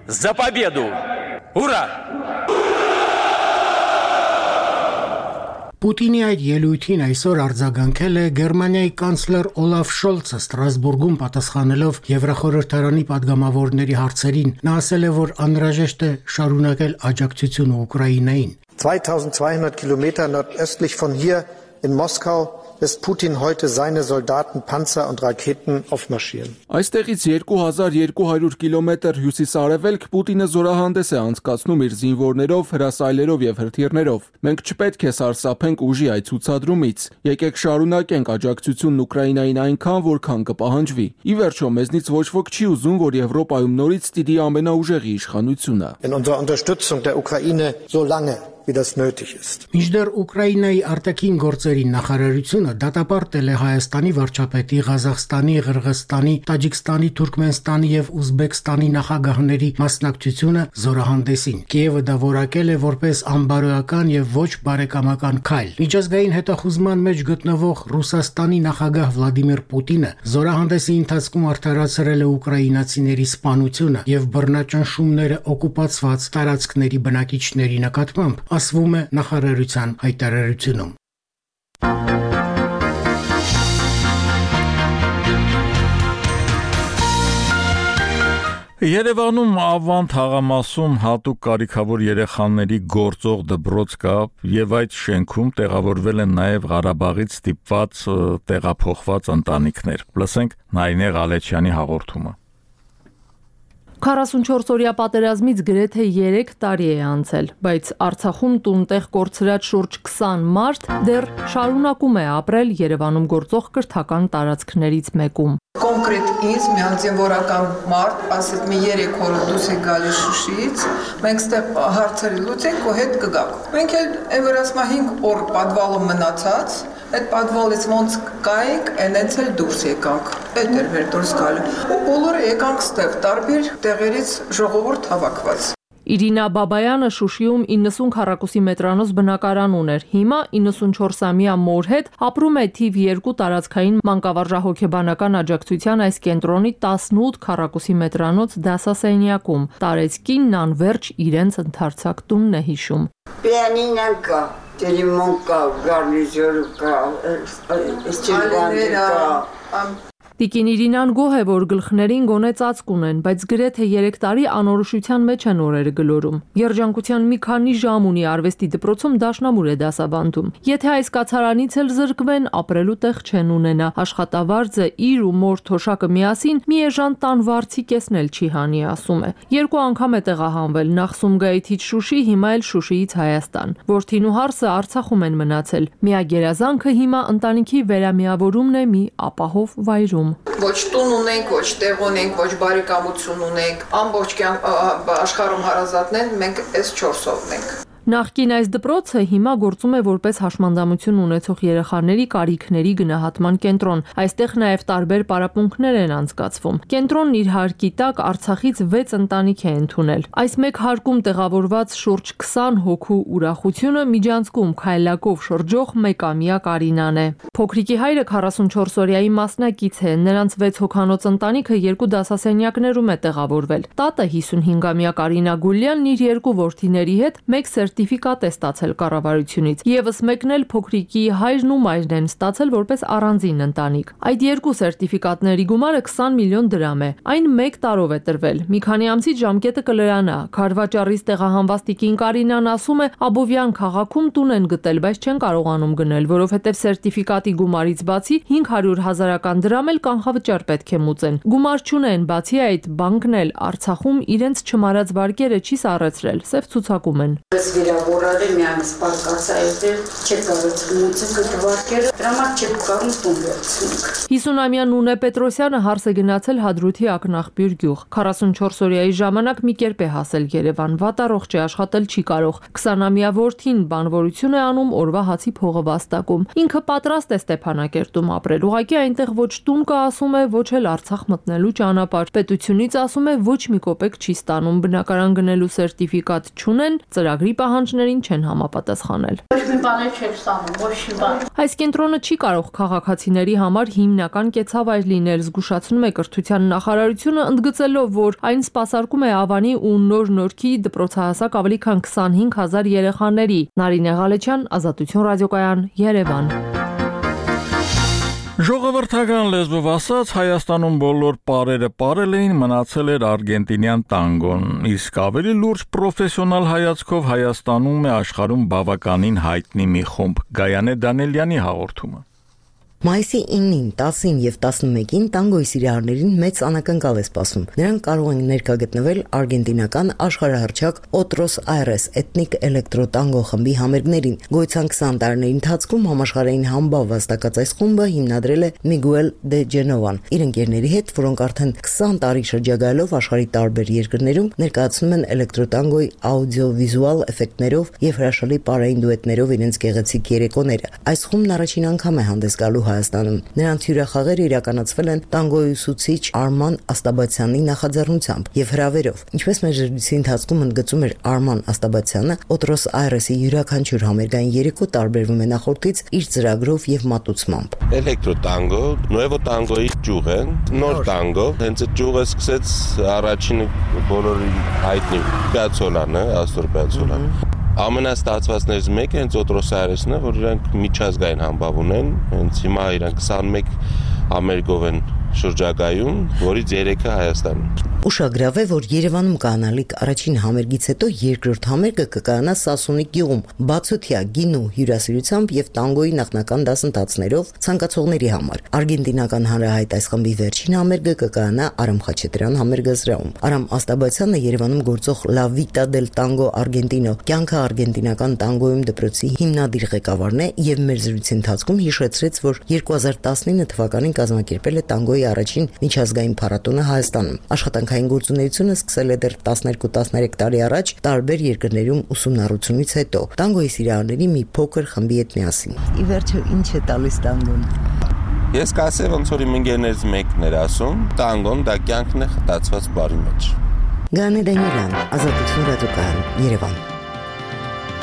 За победу! Ура! Պուտինի այդ ելույթին այսօր արձագանքել է Գերմանիայի կանցլեր Օլաֆ Շոլցը Ստրասբուրգում պատասխանելով Եվրախորհրդարանի падգամավորների հարցերին։ Նա ասել է, որ անհրաժեշտ է շարունակել աջակցությունը Ուկրաինային։ 2200 Kilometer nordöstlich von hier in Moskau lässt Putin heute seine Soldaten, Panzer und Raketen aufmarschieren. Այստեղից 2200 կիլոմետր հյուսիսարևելք Պուտինը զորահանդես է անցկացնում իր զինվորներով, հրասայլերով եւ հրթիռներով։ Մենք չպետք է սարսափենք ուժի այդ ցուցադրումից։ Եկեք շարունակենք աջակցությունն Ուկրաինային այնքան, որքան կպահանջվի։ Ի վերջո, մեզնից ոչ ոք չի ուզում, որ Եվրոպայում նորից ստիդի ամենաուժեղի իշխանությունը։ In unserer Unterstützung der Ukraine so lange wie das nötig ist. Մինչդեռ Ուկրաինայի արտաքին գործերի նախարարությունը դատապարտել է Հայաստանի վարչապետի, Ղազախստանի, Ղրղստանի, Տաջիկստանի, Թուրքմենստանի եւ Ուզբեկստանի նախագահների մասնակցությունը զորահանդեսին։ Կիևը դա որակել է որպես անբարոյական եւ ոչ բարեկամական քայլ։ Միջազգային հետախուզման մեջ գտնվող Ռուսաստանի նախագահ Վլադիմիր Պուտինը զորահանդեսի ընթացքում արդարացրել է ուկրաինացիների սպանությունը եւ բռնաճնշումները օկուպացված տարածքների բնակիչների նկատմամբ, ասվում է նախարարության հայտարարությունում։ Երևանում Ավան թաղամասում հատուկ կարիքավոր երեխաների գործող դպրոց կա եւ այդ շենքում տեղավորվել են նաեւ Ղարաբաղից ստիպված տեղափոխված ընտանիքներ։ Լսենք Նայինե Ղալեչյանի հաղորդումը։ 44-օրյա պատերազմից գրեթե 3 տարի է անցել, բայց Արցախում տունտեղ կորցրած շուրջ 20 մարդ դեռ շարունակում է ապրել Երևանում գործող կրթական տարածքներից մեկում։ Կոնկրետ ինձ մի զինվորական մարդ ասեց մի 3 օր դուրս է գալիս Շուշիից, մենք ստեղ հարցերի լուծենք ու հետ կգանք։ Մենք էլ այն վրասմա 5 օր պատվալում մնացած, այդ պատվալից ոնց կայինք, այնց էլ դուրս եկանք։ Այդ էր մեր դուրս գալը։ Ու բոլորը եկանք ստեղ տարբեր տեղերից ժողովուրդ հավաքված։ Իրինա Բաբայանը Շուշիում 90 քառակուսի մետրանոց բնակարան ուներ։ Հիմա 94-ամյա մոր հետ ապրում է թիվ 2 տարածքային մանկավարժահոգեբանական աջակցության այս կենտրոնի 18 քառակուսի մետրանոց դասասենյակում։ Տարեցկինն անվերջ իրենց ընդարձակ տունն է հիշում։ Պիանինա կա, տելեֆոն կա, գարնիզոր կա, ստիլբան կա։ Տիկին Իրինան գոհ է, որ գլխներին գոնե ծածկ ունեն, բայց գրեթե 3 տարի անորոշության մեջ են օրերը գլորում։ Երջանկության մի քանի ժամ ունի արվեստի դպրոցում դաշնամուր է դասավանդում։ Եթե այս կացարանից էլ զրկվեն, ապրելու տեղ չեն ունենա։ Աշխատավարձը իր ու մոր թոշակը միասին մի էժան տան վարձի կեսն էլ չի հանի, ասում է։ 2 անգամ է տեղահանվել, նախ Սումգայիթից Շուշի, հիմա էլ Շուշիից Հայաստան։ Որդին ու հարսը Արցախում են մնացել։ Միագերազանքը հիմա ընտանիքի վերամիավորումն է մի ապահով վայրում։ Ոչ տուն ունենք, ոչ տեղ ունենք, ոչ բարեկամություն ունենք, ամբողջ աշխարհում հարազատներ, մենք այս 4-ով ենք։ Նախկին այս դպրոցը հիմա գործում է որպես հաշմանդամություն ունեցող երեխաների կարիքների գնահատման կենտրոն։ Այստեղ նաև տարբեր պարապմունքներ են անցկացվում։ Կենտրոնն իր հարկի տակ Արցախից 6 ընտանիք է ընդունել։ Այս մեկ հարկում տեղավորված շուրջ 20 հոգու ուրախությունը միջանցքում քայլակով շրջող 1-ամյա Կարինան է։ Փոքրիկի հայրը 44-օրյայի մասնակից է, նրանց 6 հոգանոց ընտանիքը 2 դասասենյակներում է տեղավորվել։ Տատը 55-ամյա Կարինա Գուլյանն իր 2 որդիների հետ մեկ սերտիֆիկատ է ստացել կառավարությունից։ Եվս մեկն էլ փոքրիկի հայրն ու մայրն են ստացել որպես առանձին ընտանիք։ Այդ 2 սերտիֆիկատների գումարը 20 միլիոն դրամ է։ Այն 1 տարով է տրվել։ Մի քանի ամսից ժամկետը կլրանա։ Քարվաճառից տեղահանված տիկին Կարինան ասում է, Աբովյան քաղաքում տուն են գտել, բայց չեն կարողանում գնել, որովհետև սերտիֆիկատի գումարից բացի 500,000 դրամ էլ կանխավճար պետք է մուծեն։ Գումար չունեն, բացի այդ բանկն էլ Արցախում իրենց չմարած վարկերը չի սառեցրել, սև ցուցակում են։ Վիրավորարը միանց պարկացա այդել չեք կարծում կտվարկերը դրամա չեք կարող տուն վերցնենք։ 50-ամյա Նունե Պետրոսյանը հարս է գնացել Հադրութի ակնախբյուր գյուղ։ 44-օրյայի ժամանակ մի կերպ է հասել Երևան, վատառողջ է, աշխատել չի կարող։ 20-ամյա որդին բանվորություն է անում, օրվա հացի փողը վաստակում։ Ինքը պատրաստ է Ստեփանակերտում ապրել։ Ուղղակի այնտեղ ոչ տուն կա, ասում է, ոչ էլ Արցախ մտնելու ճանապարհ։ Պետությունից ասում է ոչ մի կոպեկ չի ստանում, բնակարան գնելու սերտիֆիկատ չունեն, ծրագրի պահանջներին չեն համապատասխանել։ Ոչ մի բան չեք ստանում, ոչ մի բան։ Այս կենտրոնը չի կարող քաղաքացիների համար հիմնական կեցավայր լինել, զգուշացնում է կրթության նախարարությունը, ընդգծելով, որ այն սպասարկում է Ավանի ու Նոր Նորքի դպրոցահասակ ավելի քան 25,000 երեխաների։ Նարինե Ղալեչյան, Ազատություն ռադիոկայան, Երևան։ Ժողովրդական լեզվով ասած Հայաստանում բոլոր պարերը պարել էին, մնացել էր արգենտինյան տանգոն, իսկ ավելի լուրջ պրոֆեսիոնալ հայացքով Հայաստանում է աշխարհում բավականին հայտնի մի խումբ։ Գայանե Դանելյանի հաղորդումը։ Մայիսի 9-ին, 10-ին եւ 11-ին տանգոյի սիրահարներին մեծ անակնկալ է սպասում։ Նրանք կարող են ներկա գտնվել արգենտինական աշխարհահռչակ Otros Aires էթնիկ էլեկտրոտանգո խմբի համերգներին։ Գոյության 20 տարիների ընթացքում համաշխարհային համբավ վաստակած այս խումբը հիմնադրել է Miguel de Genovan իր ընկերների հետ, որոնք արդեն 20 տարի շրջագայելով աշխարհի տարբեր երկրներում ներկայացնում են էլեկտրոտանգոյի աուդիովիզուալ էֆեկտներով եւ հրաշալի պարային դուետներով իրենց գեղեցիկ երեկոները։ Այս խումբն առաջին անգամ է հանդես գալու Հայաստանում։ Նրանց հյուրախաղերը իրականացվել են տանգոյի ուսուցիչ Արման Աստաբացյանի նախաձեռնությամբ եւ հրավերով։ Ինչպես մեր ժրույցի ընթացքում ընդգծում էր Արման Աստաբացյանը, Otros Aires-ի յուրաքանչյուր համերգային երեկո տարբերվում է նախորդից իր ծրագրով եւ մատուցմամբ։ Էլեկտրոտանգո, նուևո տանգոյի ճյուղ է, նոր տանգո, հենց այդ ճյուղը սկսեց առաջինը բոլորի հայտնի Պիացոլան է, Աստոր Պիացոլան։ Ամենաստացվածներից մեկը հենց Otros Aires-ն է, որ իրանք միջազգային համբավ ունեն, հենց հիմա իրանք 21 համերգով են շրջագայում, որից 3-ը Հայաստանում։ Ուշագրավ է, որ Երևանում կանալիք առաջին համերգից հետո երկրորդ համերգը կկայանա Սասունի գյուղում, բացօթյա գինու հյուրասիրությամբ եւ տանգոյի նախնական դասընթացներով ցանկացողների համար։ Արգենտինական հանրահայտ այս խմբի վերջին համերգը կկայանա Արամ Խաչատրյան համերգազրահում։ Արամ Աստաբացյանը Երևանում գործող La Vita del Tango Argentino կյանքը արգենտինական տանգոյում դպրոցի հիմնադիր ղեկավարն է եւ մեր զրույցի ընթացքում հիշեցրեց, որ 2019 թվականին կազմակերպել է տանգոյի առաջին միջազգային փառատոնը Հայաստանում։ Աշխատանքային գործունեությունը սկսել է դեռ 12-13 տարի առաջ տարբեր երկրներում ուսումնառությունից հետո տանգոյի սիրահարների մի փոքր խմբի հետ միասին։ Ի վերջո ինչ է տալիս տանգոն։ Ես կասեմ, ոնց որ իմ ընկերներից մեկն էր ասում, տանգոն դա կյանքն է խտացված բարի մեջ։ Գանե Դանիելյան, Ազատություն ռադիոկայան, Երևան։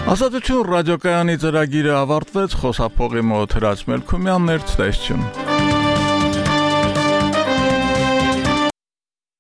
Ազատություն ռադիոկայանի ծրագիրը ավարտվեց, խոսափողի մոտ Հրաչ Մելքումյանն էր, ցտեսություն։